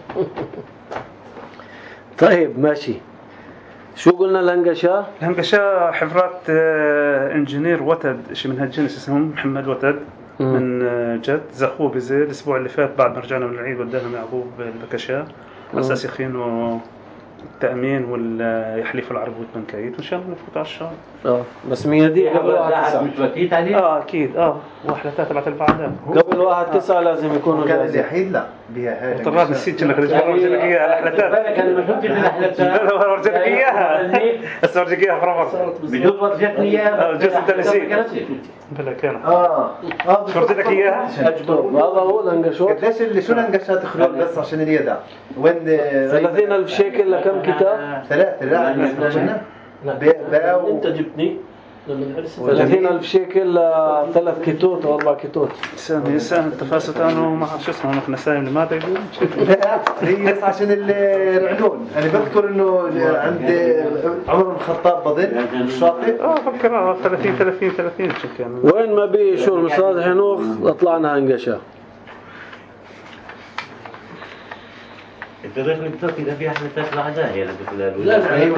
Speaker 1: طيب ماشي، شو قلنا الهنقشة؟
Speaker 2: الهنقشة حفرات آه، انجينير وتد شيء من هالجنس اسمه محمد وتد من آه، جد زخوه بزي الاسبوع اللي فات بعد ما رجعنا من العيد وداهم يعقوب البكشة على اساس يخينوا التأمين واليحلفوا العربوت بنكايت وان شاء الله نفوت على الشهر.
Speaker 1: اه بس ميادية قبل واحد تسعة
Speaker 3: مش وكيت عليه؟
Speaker 2: اه اكيد اه واحدة تبعت البعدات
Speaker 1: قبل واحد تسعة لازم يكونوا
Speaker 5: كان
Speaker 1: جاهزين.
Speaker 5: اليحيد لا بها هاي
Speaker 2: طلعت نسيت انك رجعت ورجع لك اياها الاحلتات.
Speaker 3: بالك انا ما شفتش الاحلتات.
Speaker 2: لا لا ورجع لك اياها بس ورجع لك اياها فرفض
Speaker 3: بجوز ورجتني اياها
Speaker 2: جوز انت نسيت بلا كان
Speaker 5: اه اه
Speaker 2: ورجع لك اياها.
Speaker 1: هذا هو الهنقشوت.
Speaker 5: قديش اللي شو الهنقشات خلود بس عشان اليدع وين
Speaker 1: ثلاثين ألف شيكل لكم كتاب؟
Speaker 5: ثلاثة لا باو
Speaker 4: انت جبتني لما نحرس
Speaker 1: ثلاثين ألف شيكل لثلاث كيتوت أو أربع كيتوت.
Speaker 2: سامي سامي التفاصيل أنا وما شو اسمه نحن سامي اللي ما تقول.
Speaker 5: لا هي بس عشان العنون أنا بذكر إنه عند عمر بن الخطاب بظن الشاطئ
Speaker 2: آه فكر ثلاثين ثلاثين ثلاثين شو كان.
Speaker 1: وين ما بي شو المصاد حنوخ طلعنا هنقشة.
Speaker 3: التاريخ اللي بتصير إذا في أحلتات بعدها هي
Speaker 4: لا لا هي
Speaker 3: من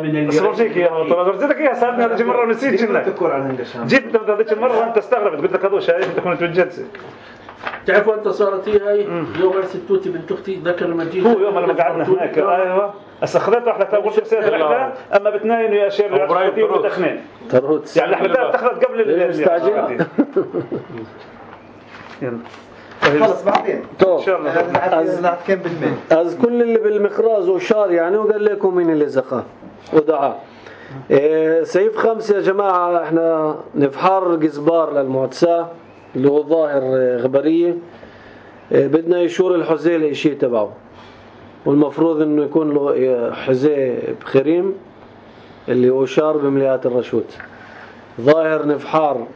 Speaker 3: اللي
Speaker 2: بس برجيك إياها طبعا برجيك إياها سابني هذيك مرة ونسيت شنو.
Speaker 5: تذكر عن هنقشة.
Speaker 2: جيت هذيك المرة وأنت استغربت قلت لك هذول شايف أنت كنت بالجلسة.
Speaker 4: تعرفوا أنت صارت هي هاي يوم أرسل توتي بنت أختي ذكر المجيد
Speaker 2: هو يوم لما قعدنا هناك أيوة استخدمت أحلتها قلت بسير الأحلام أما بتناين ويا شير العشرتين وبتخنين.
Speaker 1: تروت.
Speaker 2: يعني الأحلام اتخذت قبل
Speaker 1: المستعجل.
Speaker 2: يلا.
Speaker 5: خلص بعدين
Speaker 1: طب
Speaker 2: إن شاء الله.
Speaker 5: هذا كم بالمية.
Speaker 1: از كل اللي بالمخراز وشار يعني وقال لكم مين اللي زقاه ودعاه. إيه سيف خمسة يا جماعة احنا نفحر جزبار للمعتساه اللي هو ظاهر غبرية. إيه بدنا يشور الحزيه الاشي تبعه والمفروض انه يكون له حزيه بخريم اللي هو شار بمليات الرشوت. ظاهر نفحار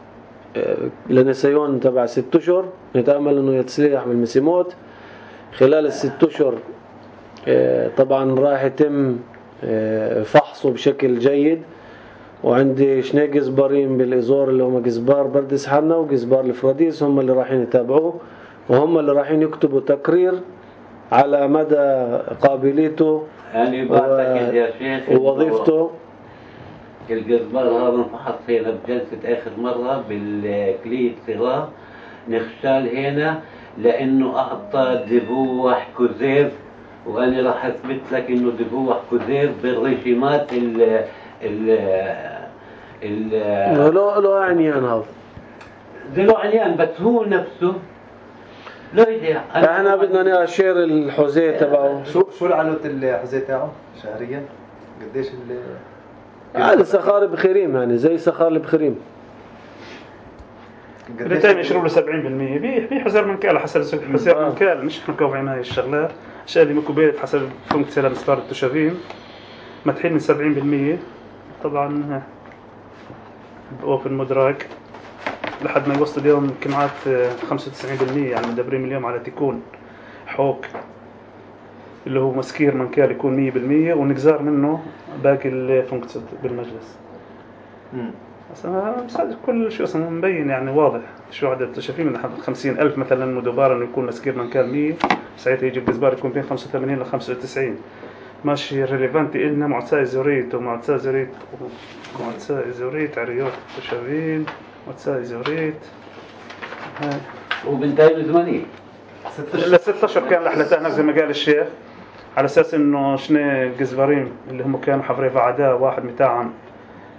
Speaker 1: لنسيون تبع ست اشهر نتأمل انه يتسليح بالمسيموت خلال الست اشهر. طبعا راح يتم فحصه بشكل جيد وعندي شني جزبارين بالازور اللي هم جزبار بردس حنا وجزبار الفراديس هم اللي رايحين يتابعوه وهم اللي رايحين يكتبوا تقرير على مدى قابليته
Speaker 3: يعني بعتقد يا شيخ
Speaker 1: ووظيفته.
Speaker 3: الجزبار هذا انفحص هنا بجلسة آخر مرة بالكلية صغار نخشال هنا لأنه أعطى دبوح كوزير وأنا راح أثبت لك إنه دبوح كوزير بالريشيمات ال ال ال
Speaker 1: له له عنيان هذا
Speaker 3: له عنيان بس هو نفسه لا يديع.
Speaker 1: احنا بدنا نأشير الحزيه تبعه.
Speaker 5: شو شو العنوة الحزيه تاعه شهريا قديش ال
Speaker 1: هذا سخار بخريم يعني زي سخار بخريم.
Speaker 2: بالتالي يشرب له سبعين بالمية بيه بيه حزر من كال حسب حزر من كال مش احنا كوفي هاي الشغلات الاشياء اللي مكوبيت حسب فونكسيون لمستار التشافين متحيل من سبعين بالمية طبعا بوفن مدراك لحد ما يوصل اليوم كمعات خمسة وتسعين بالمية يعني مدبرين اليوم على تكون حوك اللي هو مسكير من كال يكون مية بالمية ونجزار منه باقي الفونكسيون بالمجلس.
Speaker 5: امم
Speaker 2: بس كل شيء اصلا مبين يعني واضح شو عدد شايفين من خمسين ألف مثلا مدبار انه يكون مسكير من كال مية ساعتها يجي الجزبار يكون بين خمسة وثمانين ل خمسة وتسعين ماشي ريليفانتي إلنا معتساه زوريت ومعتساه زوريت ومعتساه زوريت عريوت وشاوين معتساه زوريت هاي
Speaker 3: وبنتين زمانية
Speaker 2: لست أشهر كان لحلتها زي ما قال الشيخ على أساس إنه شنو الجزبارين اللي هم كانوا حفري فعداء واحد متاعهم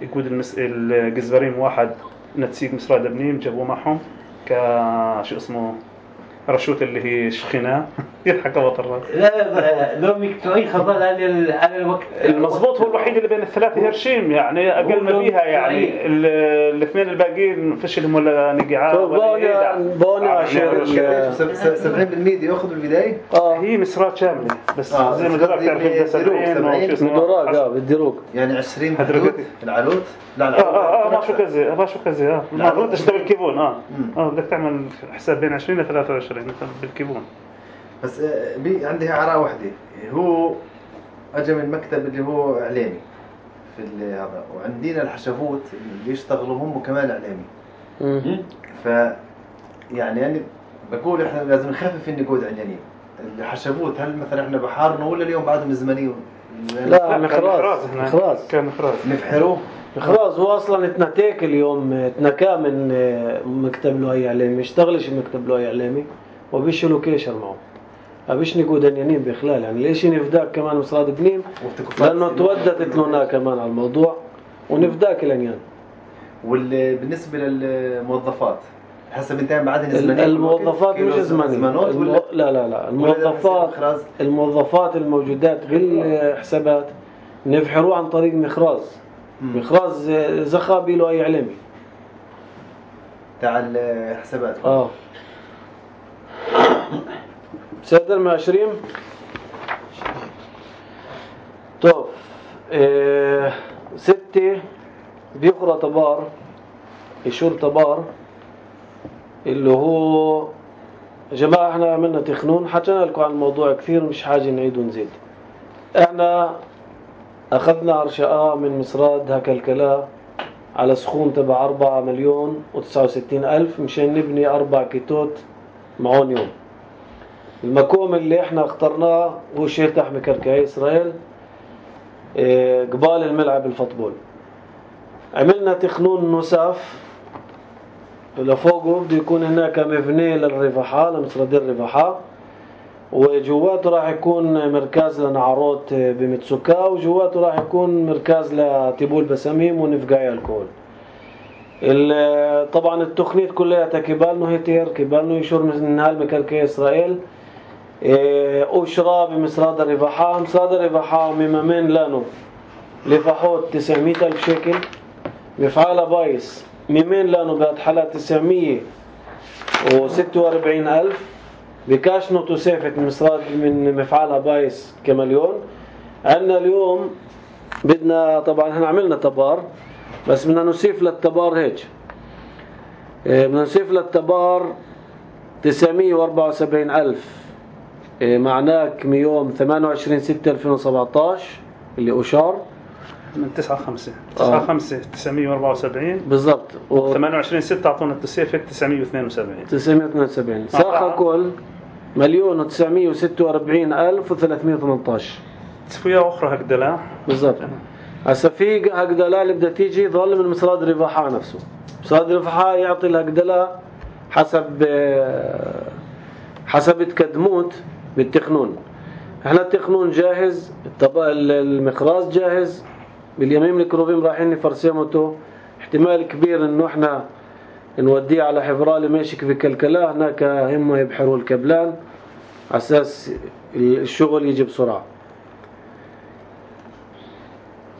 Speaker 2: يقود المس... الجزبارين واحد نتسيق مصراد ابنين جابوه معهم كشو اسمه رشوت اللي هي شخناء يضحك وطر
Speaker 3: لا لو مكتوعي خبر على على الوقت
Speaker 2: المضبوط هو الوحيد اللي بين الثلاثة هرشيم يعني أقل ما فيها يعني ال- الاثنين الباقيين فشلهم ولا نقعات ولا
Speaker 1: بوني بوني عشان
Speaker 5: سبعين بالمية دي ياخذ بالبداية.
Speaker 1: اه
Speaker 2: هي مسرات شاملة بس
Speaker 5: آه،
Speaker 2: زي ما
Speaker 5: بس
Speaker 2: ذكرت تعرف
Speaker 5: بدي
Speaker 2: بدها سبعين
Speaker 5: سبعين
Speaker 2: وشو اسمه
Speaker 1: دراج اه بالدروج.
Speaker 5: يعني عشرين
Speaker 2: هدرجتي.
Speaker 5: بالدود العروض. لا
Speaker 2: اه
Speaker 5: لا
Speaker 2: اه اه ما شو كذا ما شو كذا اه ما غلطتش ده بالكيبون اه
Speaker 5: مم.
Speaker 2: اه بدك تعمل حساب بين عشرين ل ثلاثة وعشرين بالكيبون.
Speaker 5: بس آه، بي عندي عراء وحدة هو اجى من مكتب اللي هو اعلامي في ال- هذا وعندنا الحشفوت اللي بيشتغلوا هم كمان اعلامي.
Speaker 1: مم.
Speaker 5: ف يعني يعني بقول احنا لازم نخفف النقود عندنا. الحشفوت هل مثلا احنا بحارنا ولا اليوم بعدهم زمنيون؟
Speaker 1: لا
Speaker 2: كان
Speaker 1: مخراز
Speaker 2: هنا.
Speaker 1: مخراز
Speaker 2: كان مخراز
Speaker 5: نفحروه.
Speaker 1: مخراز هو اصلا اتنتاك اليوم اتنكا من آه، مكتب له اي اعلامي اشتغلش مكتب له اي اعلامي وبيشلوا كيشر معه ابيش نقود دنيانين بخلال يعني ليش نفداك كمان مصراد بنين لانه تودت لنا كمان على الموضوع ونفداك الانيان.
Speaker 5: وبالنسبه للموظفات حسب انتهى بعدين زمنيه
Speaker 1: الموظفات مش زمنيه المو... لا لا لا الموظفات الموظفات الموجودات غير حسابات نفحروه عن طريق مخراز مخراز زخابي له اي اعلامي
Speaker 5: تاع الحسابات.
Speaker 1: اه سادر من عشرين طب اه ستة بيقرأ تبار يشور تبار اللي هو جماعة احنا عملنا تخنون حكينا لكم عن الموضوع كثير مش حاجة نعيد ونزيد. احنا اخذنا عرشاء من مصراد هكالكلا على سخون تبع أربعة مليون وتسعة وستين ألف مشان نبني أربع كيتوت معون يوم. المكوم اللي احنا اخترناه هو شيتح مكركعي إسرائيل اه قبال الملعب الفوتبول. عملنا تخنون نساف لفوقه بده يكون هناك مبنى للرفحة لمصراد الرفحة وجواته راح يكون مركز لنعروت بمتسوكا وجواته راح يكون مركز لتبول بسميم ونفقاي الكول. طبعا التخنيت كلها كبالنو هيتير كبالنو يشور من نهال مكركي إسرائيل أشرا بمصراد الرفحة مصراد الرفحة ممامين لانو لفحوت تسعمية ألف شيكل مفعالة بايس ممين لانو بعد حالة تسعمية وستة وأربعين ألف بكاشنو تسافت مصراد من مفعالها بايس كمليون. عندنا اليوم بدنا طبعا احنا عملنا تبار بس بدنا نصيف للتبار هيك بدنا نصيف للتبار تسعمية وأربعة وسبعين ألف معناك من يوم ثمانية وعشرين ستة ألفين وسبعطعش اللي أشار
Speaker 2: من تسعة خمسة تسعة خمسة تسعمية وأربعة وسبعين
Speaker 1: بالضبط
Speaker 2: و ثمانية وعشرين ستة أعطونا التسافة تسعمية واثنين وسبعين
Speaker 1: تسعمية واثنين وسبعين ساخة كل مليون وتسعمية وستة وأربعين ألف وثلاثمية وثمانطعش
Speaker 2: تصفية أخرى هكذا
Speaker 1: بالضبط. هسا في هكذا اللي بدها تيجي ظل من مصراد رفحة نفسه. مصراد رفحة يعطي الهكذا حسب حسب تقدموت بالتخنون. احنا التخنون جاهز المخراز جاهز باليمين الكروبين رايحين نفرسمته احتمال كبير انه احنا نوديه على حفرالي ماشيك في كلكلا هناك هم يبحروا الكبلان على اساس الشغل يجي بسرعة.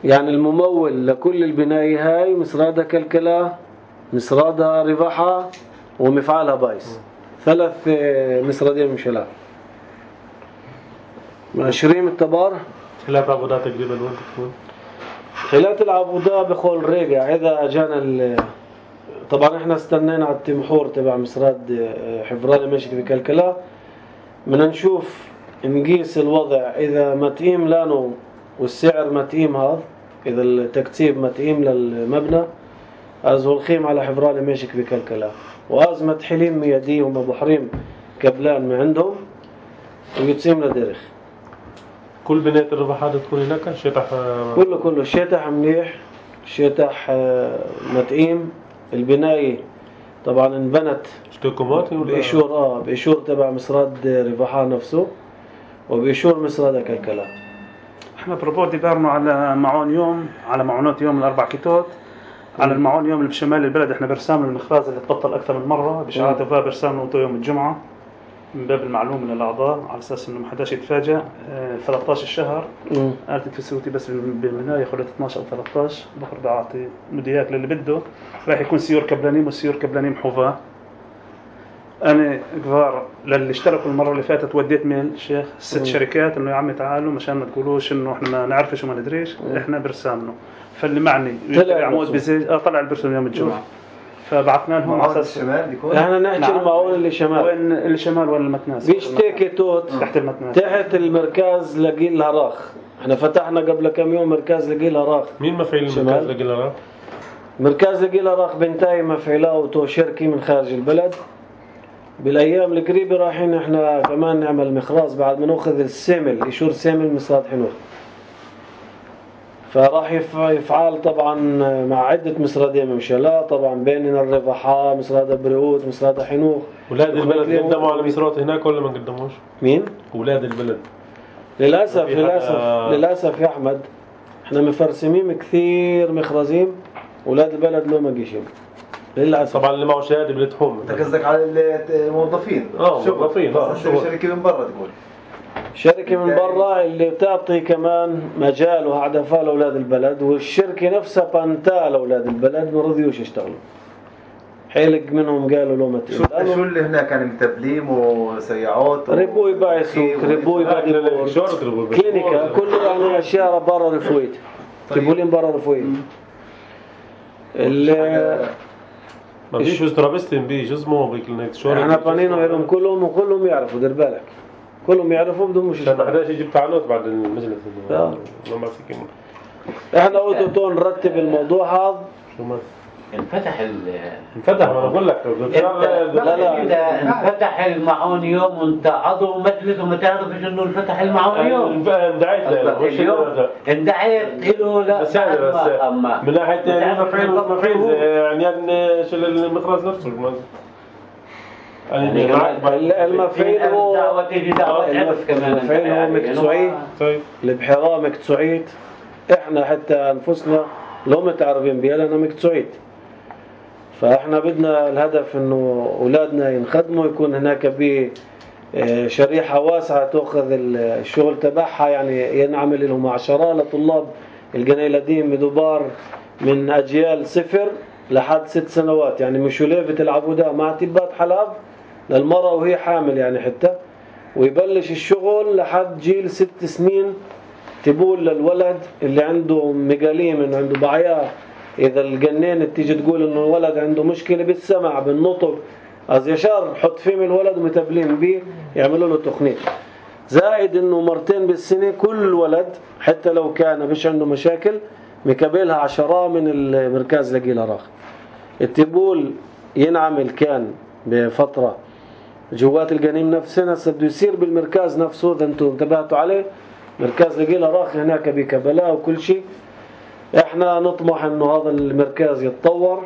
Speaker 1: يعني الممول لكل البناء هاي مصرادة كلكلا مصرادة رفحة ومفعالها بايس ثلاث مصرادين مشلا عشرين التبار.
Speaker 7: خلاف عبودات تقريبا وين تكون؟
Speaker 1: خلات العبودة بخول ريقع إذا أجانا طبعا احنا استنينا على التمحور تبع مصراد حفرالي ماشي في كلكلا بدنا نشوف نقيس الوضع إذا متئيم لانه والسعر متئيم هذا إذا التكتيب متئيم للمبنى أزهو الخيم على حفرالي ماشي في كلكلا وأزمة حليم مياديهم أبو حريم كبلان من عندهم ويتسيم لدرخ.
Speaker 7: كل بناية الرفحات تكون هناك شيطح
Speaker 1: كله كله شيطح منيح شيطح متئيم. البناية طبعا انبنت
Speaker 7: اشتكوماتي ولا
Speaker 1: بإشور اه بإشور تبع مصراد رفحة نفسه وبإشور مصراد كلكلا.
Speaker 2: احنا بربودي بارنو على معون يوم على معونات يوم الأربع كيتوت على المعون يوم اللي بشمال البلد احنا برسام المخراز اللي تبطل أكثر من مرة بشعات وفاه برسام له يوم الجمعة من باب المعلومة للأعضاء على أساس إنه ما حداش يتفاجأ. آه، ثلاثة عشر الشهر
Speaker 1: مم.
Speaker 2: قالت الفسيوتي بس بالبناية خلت اثناشر أو ثلاثة عشر بخر بعطي مدياك للي بده راح يكون سيور كبلانيم وسيور كبلانيم حوفا. أنا كبار للي اشتركوا المرة اللي فاتت وديت ميل شيخ ست
Speaker 1: مم.
Speaker 2: شركات إنه يا عمي تعالوا مشان ما تقولوش إنه إحنا ما نعرفش وما ندريش. إحنا برسامنا فاللي معني
Speaker 1: طلع
Speaker 2: عمود
Speaker 1: البرسوم.
Speaker 2: بزيج آه طلع البرسوم يوم الجمعة فبعثنا لهم على
Speaker 5: معاون
Speaker 2: أساس
Speaker 5: الشمال يكون
Speaker 1: احنا نحكي
Speaker 2: نعم.
Speaker 1: المعون اللي شمال
Speaker 2: وين اللي شمال وين المتناس
Speaker 1: بيشتكي توت
Speaker 2: تحت المتناس
Speaker 1: تحت المركز لقيل الهراخ. احنا فتحنا قبل كم يوم مركز لقيل الهراخ.
Speaker 7: مين مفعيل
Speaker 1: شمال.
Speaker 7: المركز لقيل
Speaker 1: مركز لقيل الهراخ بنتاي مفعلاته شركة من خارج البلد. بالايام القريبة رايحين احنا كمان نعمل مخراز بعد ما ناخذ السامل ايشور سامل مصراد حنوخ. فراح يف- يفعل طبعا مع عدة مصرادين ممشلا طبعا بيننا الرفحاء مصراد بريوت مصراد حنوخ.
Speaker 7: ولاد البلد
Speaker 1: ليه
Speaker 7: قدموا على
Speaker 1: هو-
Speaker 7: مصرات هناك ولا ما قدموش؟
Speaker 1: مين؟
Speaker 7: ولاد البلد
Speaker 1: للأسف
Speaker 7: في حدا-
Speaker 1: للأسف للأسف يا أحمد احنا مفرسمين كثير مخرزين ولاد البلد لو ما جيش للأسف.
Speaker 7: طبعا اللي معه شهاده بلتهم.
Speaker 5: انت قصدك على الموظفين
Speaker 7: اه
Speaker 5: شغل.
Speaker 7: موظفين اه
Speaker 5: بس
Speaker 7: شغل.
Speaker 5: شركة من برا تقول
Speaker 1: شركة من برا اللي بتعطي كمان مجال وهدفها لأولاد البلد والشركة نفسها بانتا لأولاد البلد ما رضيوش يشتغلوا. حيلق منهم قالوا لو ما
Speaker 5: شو شو اللي هناك يعني متبليم وسيارات و-
Speaker 1: ربوي باع سوق ربوي باع ديبور كلينيكا كله يعني أشياء برا رفويت تبولين برا رفويت. اللي
Speaker 7: ما فيش استرابستين بي شو اسمه بكلينيك شو
Speaker 1: احنا بانينو لهم كلهم وكلهم يعرفوا دير بالك كلهم يعرفوا بدهم مش
Speaker 7: عشان ما حداش يجيب تعليق بعد المجلس.
Speaker 1: آه.
Speaker 7: ما ما في كلمة.
Speaker 1: احنا اوتوتو نرتب الموضوع هذا.
Speaker 7: شو ما
Speaker 3: انفتح ال
Speaker 7: انفتح ما انا بقول لك
Speaker 3: لا
Speaker 1: لا.
Speaker 3: إذا انفتح المعون يوم وانت عضو مجلس وما تعرفش انه انفتح المعون يوم
Speaker 7: اندعيت له مش
Speaker 3: اليوم اندعيت له لا
Speaker 7: بس هذا بس
Speaker 3: أما
Speaker 7: من ناحية يعني مفعيل مفعيل يعني يعني شو المخرج نفسه يعني
Speaker 1: المفعيل هو المفعيل هو مكتسوعي
Speaker 7: طيب
Speaker 1: البحيرة مكتسوعيت. احنا حتى انفسنا لو متعرفين بيها لنا مكتسوعيت. فاحنا بدنا الهدف انه اولادنا ينخدموا يكون هناك بشريحة واسعة تأخذ الشغل تبعها يعني ينعمل لهم عشرة لطلاب الجنيلدين بدبار من اجيال صفر لحد ست سنوات يعني مش ليفة العبودة مع تبات حلاب للمرأة وهي حامل يعني حتى ويبلش الشغل لحد جيل ست سنين تبول للولد اللي عنده مقاليم انه عنده بعياه. اذا الجنين تيجي تقول انه الولد عنده مشكلة بالسمع بالنطق از يشار حط فيهم الولد ومتبلين بيه يعملوا له تقنية. زائد انه مرتين بالسنة كل ولد حتى لو كان مش عنده مشاكل مكبلها عشرة من المركز لقيل راخ. التبول ينعمل كان بفترة جوات الجنين نفسنا بده يصير بالمركز نفسه اذا انتم انتبهتوا عليه مركز لقيل راخ هناك بكبلاء وكل شيء. احنا نطمح انه هذا المركز يتطور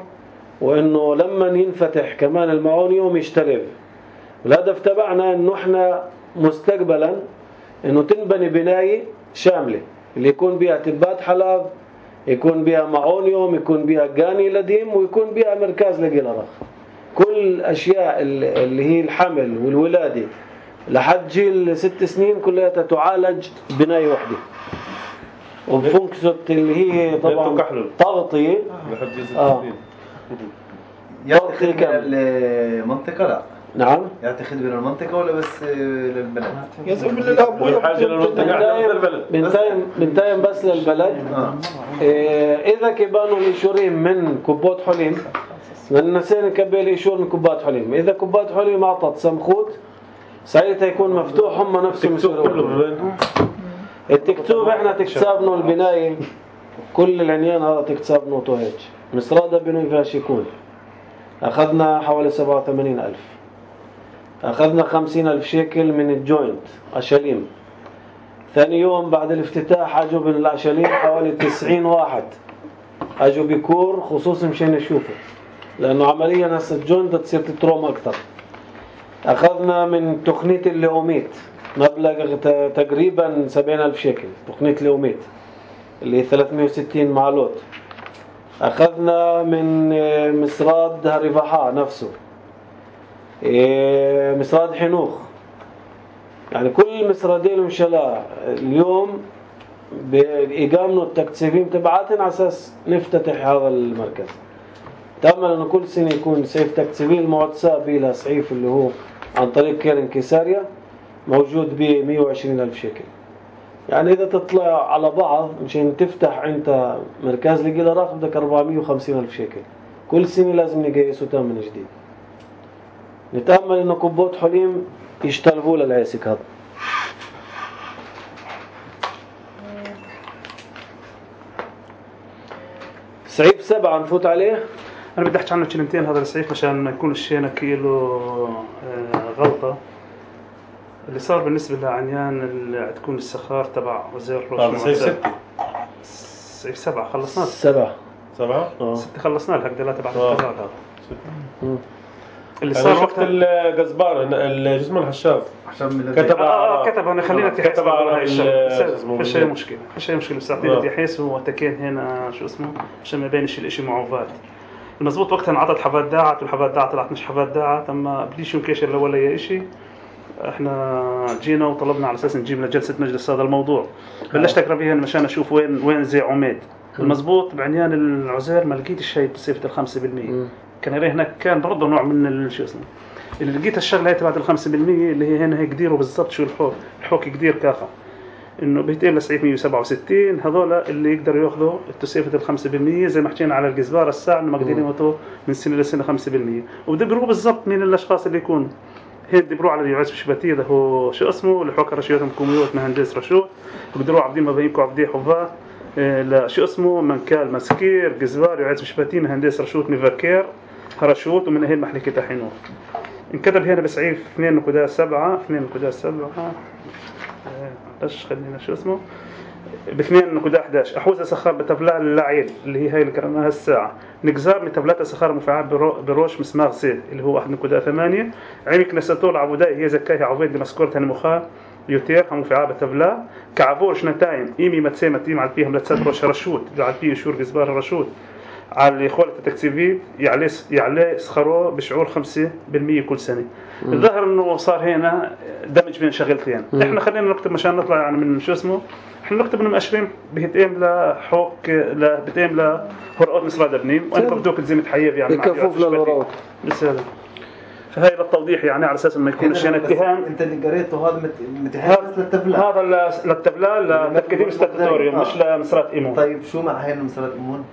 Speaker 1: وانه لما ينفتح كمان المعون يوم يشتغل. الهدف تبعنا انه احنا مستقبلا انه تنبني بناية شاملة اللي يكون بها تبات حلاب يكون بها معون يوم يكون بها جاني لديم ويكون بها مركز لقيل راخ. كل الاشياء اللي هي الحمل والولادة لحد جيل ست سنين كلها تعالج بناية واحدة وفونكسوت اللي هي طبعا تغطية
Speaker 7: اه
Speaker 5: يعطي خدمة للمنطقة لا
Speaker 1: نعم
Speaker 5: يعطي خدمة للمنطقة ولا بس للبلد
Speaker 6: يزعم للأب
Speaker 7: حاجة للمنطقة
Speaker 1: بنتايم بنتايم بس للبلد. إيه إذا كبانوا الإيشورين من كوبات حليم من نسين كبال إيشور من كوبات حليم إذا كوبات حليم أعطت سمخوت ساعتها يكون مفتوح هم نفسهم يسوون التكتوب. احنا تكتسابنا البناية كل العنيان هذا تكتسابنا طوهج مصرادة بنو فاشيكون أخذنا حوالي سبعة وثمانين ألف. أخذنا خمسين ألف شيكل من الجوينت أشاليم. ثاني يوم بعد الافتتاح أجوا من الأشاليم حوالي تسعين واحد أجوا بكور خصوصا مشان يشوفوا لأنه عمليا هسه الجوينت تصير تتروم أكتر. أخذنا من تقنية الليوميت مبلغ تقريبا سبعين ألف شيكل تقنية الليوميت اللي ثلاثمائة وستين معلوت. أخذنا من مصراد هرفحاء نفسه مصراد حنوخ يعني كل مسردين ومشلاء اليوم بإقامنا التكثيفين تبعاتنا على أساس نفتتح هذا المركز. تأمل أنه كل سنة يكون سيف تكثيفين المعدسة بلا سعيف اللي هو عن طريق كيرن كيساريا موجود ب مئة وعشرين ألف شيكل. يعني إذا تطلع على بعض مشان تفتح أنت مركز لجلارات بدك أربعمئة وخمسين ألف شيكل. كل سنة لازم نقيسه تام من جديد. نتأمل إنه كبوت حليم يشتلبوا للعيسك هذا. سعيف سبعة نفوت عليه.
Speaker 2: أنا بدي أحكي عنه كلمتين هذا السعيف عشان ما يكون الشيء كيلو غلطة. اللي صار بالنسبة لعنيان اللي تكون السخار تبع وزير روش.
Speaker 7: سعيف ستة.
Speaker 2: سعيف سبعة خلصناه.
Speaker 1: سبعة.
Speaker 7: سبعة.
Speaker 2: آه. ستة خلصناه الهك دلات تبع
Speaker 7: آه.
Speaker 2: الكذاب هذا. اللي
Speaker 7: صار
Speaker 2: صار
Speaker 7: وقت الجزبار الجسم الحشاف كتب
Speaker 2: آه كتب أنا خلينا
Speaker 7: كتب على
Speaker 2: هاي الشيء
Speaker 7: اسمه
Speaker 2: فيش أي مشكلة فيش أي مشكلة بساعتين بدي أحس وتكين هنا شو اسمه عشان ما بينش الإشي معوفات. المزبوط وقتها انعطت حفاد داعت والحفاد داعت طلعت مش حفاد داعت أما بديش ينكشر لا ولا أي إشي. احنا جينا وطلبنا على اساس نجيب لجلسه مجلس هذا الموضوع. بلشت اقرا فيها مشان اشوف وين وين زي عميد. المزبوط بعنيان العزير ما لقيت الشيء بصفه الخمسة بالمئة. كان هناك كان برضه نوع من شو اسمه اللي لقيت الشغله هي تبعت الخمسة بالمئة اللي هي هنا هيك ديروا بالضبط شو الحوك الحوك كدير كافه انه بيتقل لسعيف مئة وسبعة وستين هذول اللي يقدروا ياخذوا التسعيفه الخمسة بالمئة زي ما حكينا على الجزبار الساعه انه مقدرين يموتوا من سنه لسنه خمسة بالمئة وبدبروا بالضبط مين الاشخاص اللي يكون هين دبروا على اليوعز بشباتيه ده هو شو اسمه اللي حوك رشيدهم كوميوت مهندس رشود بقدروا عبدين ما بينكم عبدي حباه لا شو اسمه منكال مسكير جزبار يوعز بشباتيه مهندس رشود نيفاكير هرشوت ومن هين محلكة تحينور انكتب هنا بسعيف اثنين نقطة سبعة اثنين نقطة سبعة ايش خلينا شو اسمه ب اثنين نقطة أحد عشر احوزه سخار بتبلع اللعيل اللي هي هاي اللي قرأناها الساعه نجزار من تبلات سخار مفعال بروش مسمار زيت اللي هو واحد نقطة ثمانية عينك نسطول عبوداي هي زكاها عبيد لمسكورتها المخا يوتير هم مفعال بتبلع كعبور شنتاين ايمي متسمه تيم على فيهم لتسد روش رشود على فيه شور جزبار رشود على إخوة التكثيفي يعلي يعلي سخروه بشعور خمسة بالمئة كل سنة. الظاهر إنه صار هنا دمج بين شغلتين. إحنا خلينا نكتب مشان نطلع يعني من شو اسمه. إحنا نكتب إنه مقشرين بهتئم لحوك لا بهتئم لهرقات مسراد ابنيم وأنا بفدوك زي متحيب يعني.
Speaker 1: كفوف للهرقات.
Speaker 2: بس هذا. فهاي للتوضيح يعني على أساس ما يكون الشيء اتهام.
Speaker 5: أنت اللي قريته هذا متحيز للتبلة.
Speaker 2: هذا للتبلة لتكديم ستاتوريوم مش لمسرات إيمون.
Speaker 5: طيب شو مع هاي المسرات إيمون؟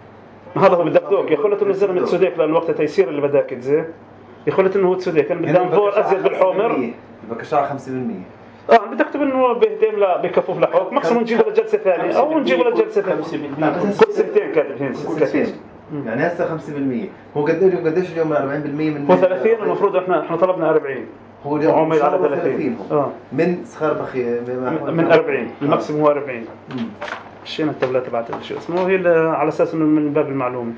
Speaker 2: هذا هو بدك يخلت انه الزلمه تسوديك لان وقت تيسير اللي بدك تزي يخلت انه هو تسوديك كان بدنا نفور ازيد بالحومر
Speaker 5: بكشاع خمسة بالمئة
Speaker 2: اه بدك تكتب انه بهديم لا بكفوف لحوك ماكسيموم نجيبه لجلسه ثانيه او نجيبه لجلسه ثانيه كل سنتين كاتب هنا
Speaker 5: سنتين يعني هسه خمسة بالمئة هو قد ايه قديش اليوم من أربعين بالمئة من
Speaker 2: هو ثلاثين المفروض احنا احنا طلبنا أربعين
Speaker 5: هو اليوم
Speaker 2: على ثلاثين
Speaker 5: اه من سخار بخي
Speaker 2: من أربعين الماكسيموم هو أربعين شينا التبلة تبعت شو اسمه هي على اساس انه من باب المعلومه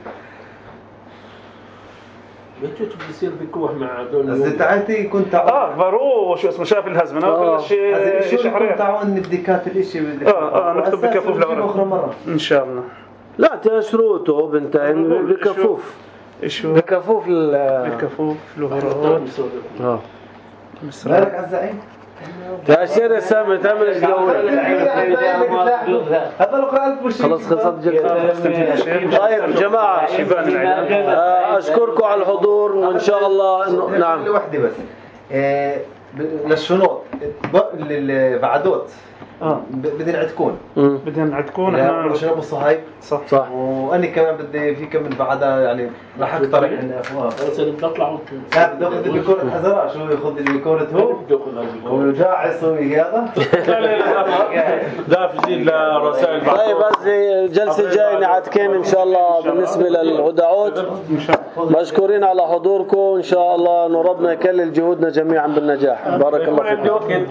Speaker 4: بتشوف بيصير بكوح مع دول
Speaker 5: بس تعالتي كنت
Speaker 2: اه فارو شو اسمه شاف الهزمه
Speaker 1: آه.
Speaker 2: ولا شيء
Speaker 5: شو كنت تعاون بديكات الاشي
Speaker 2: اه اه نكتب بكفوف
Speaker 5: اخر مره
Speaker 2: ان شاء الله
Speaker 1: لا تشروطه بنتين بكفوف
Speaker 2: ايشو
Speaker 1: بكفوف ال
Speaker 2: بكفوف الهرقات
Speaker 1: اه
Speaker 5: مالك عالزعيم
Speaker 1: تأشير سامي تعمل ايش جوله
Speaker 5: هذا لو قرأت برشيد
Speaker 1: خلاص خلصت جلسة. طيب جماعة أشكركم على الحضور وإن شاء الله إنه نعم
Speaker 5: لوحدي بس للشنوط للبعدوت
Speaker 2: اه
Speaker 5: بدنا نعتكون
Speaker 2: بدنا نعتكون احنا
Speaker 5: نشرب الصهايب
Speaker 2: صح
Speaker 1: صح
Speaker 5: وأنا كمان بدي في كم من بعدها يعني راح اقترح ان افواه
Speaker 4: بس اللي بتطلع
Speaker 5: لا بدي اخذ البيكورة حزرة شو ياخذ البيكورة هو هو جاعص هذا
Speaker 7: لا لا لا دافع جديد لرسائل
Speaker 1: طيب بس الجلسة الجاية نعتكين إن شاء الله بالنسبة للهدعوت مشكورين على حضوركم إن شاء الله إنه ربنا يكلل جهودنا جميعا بالنجاح بارك الله فيكم.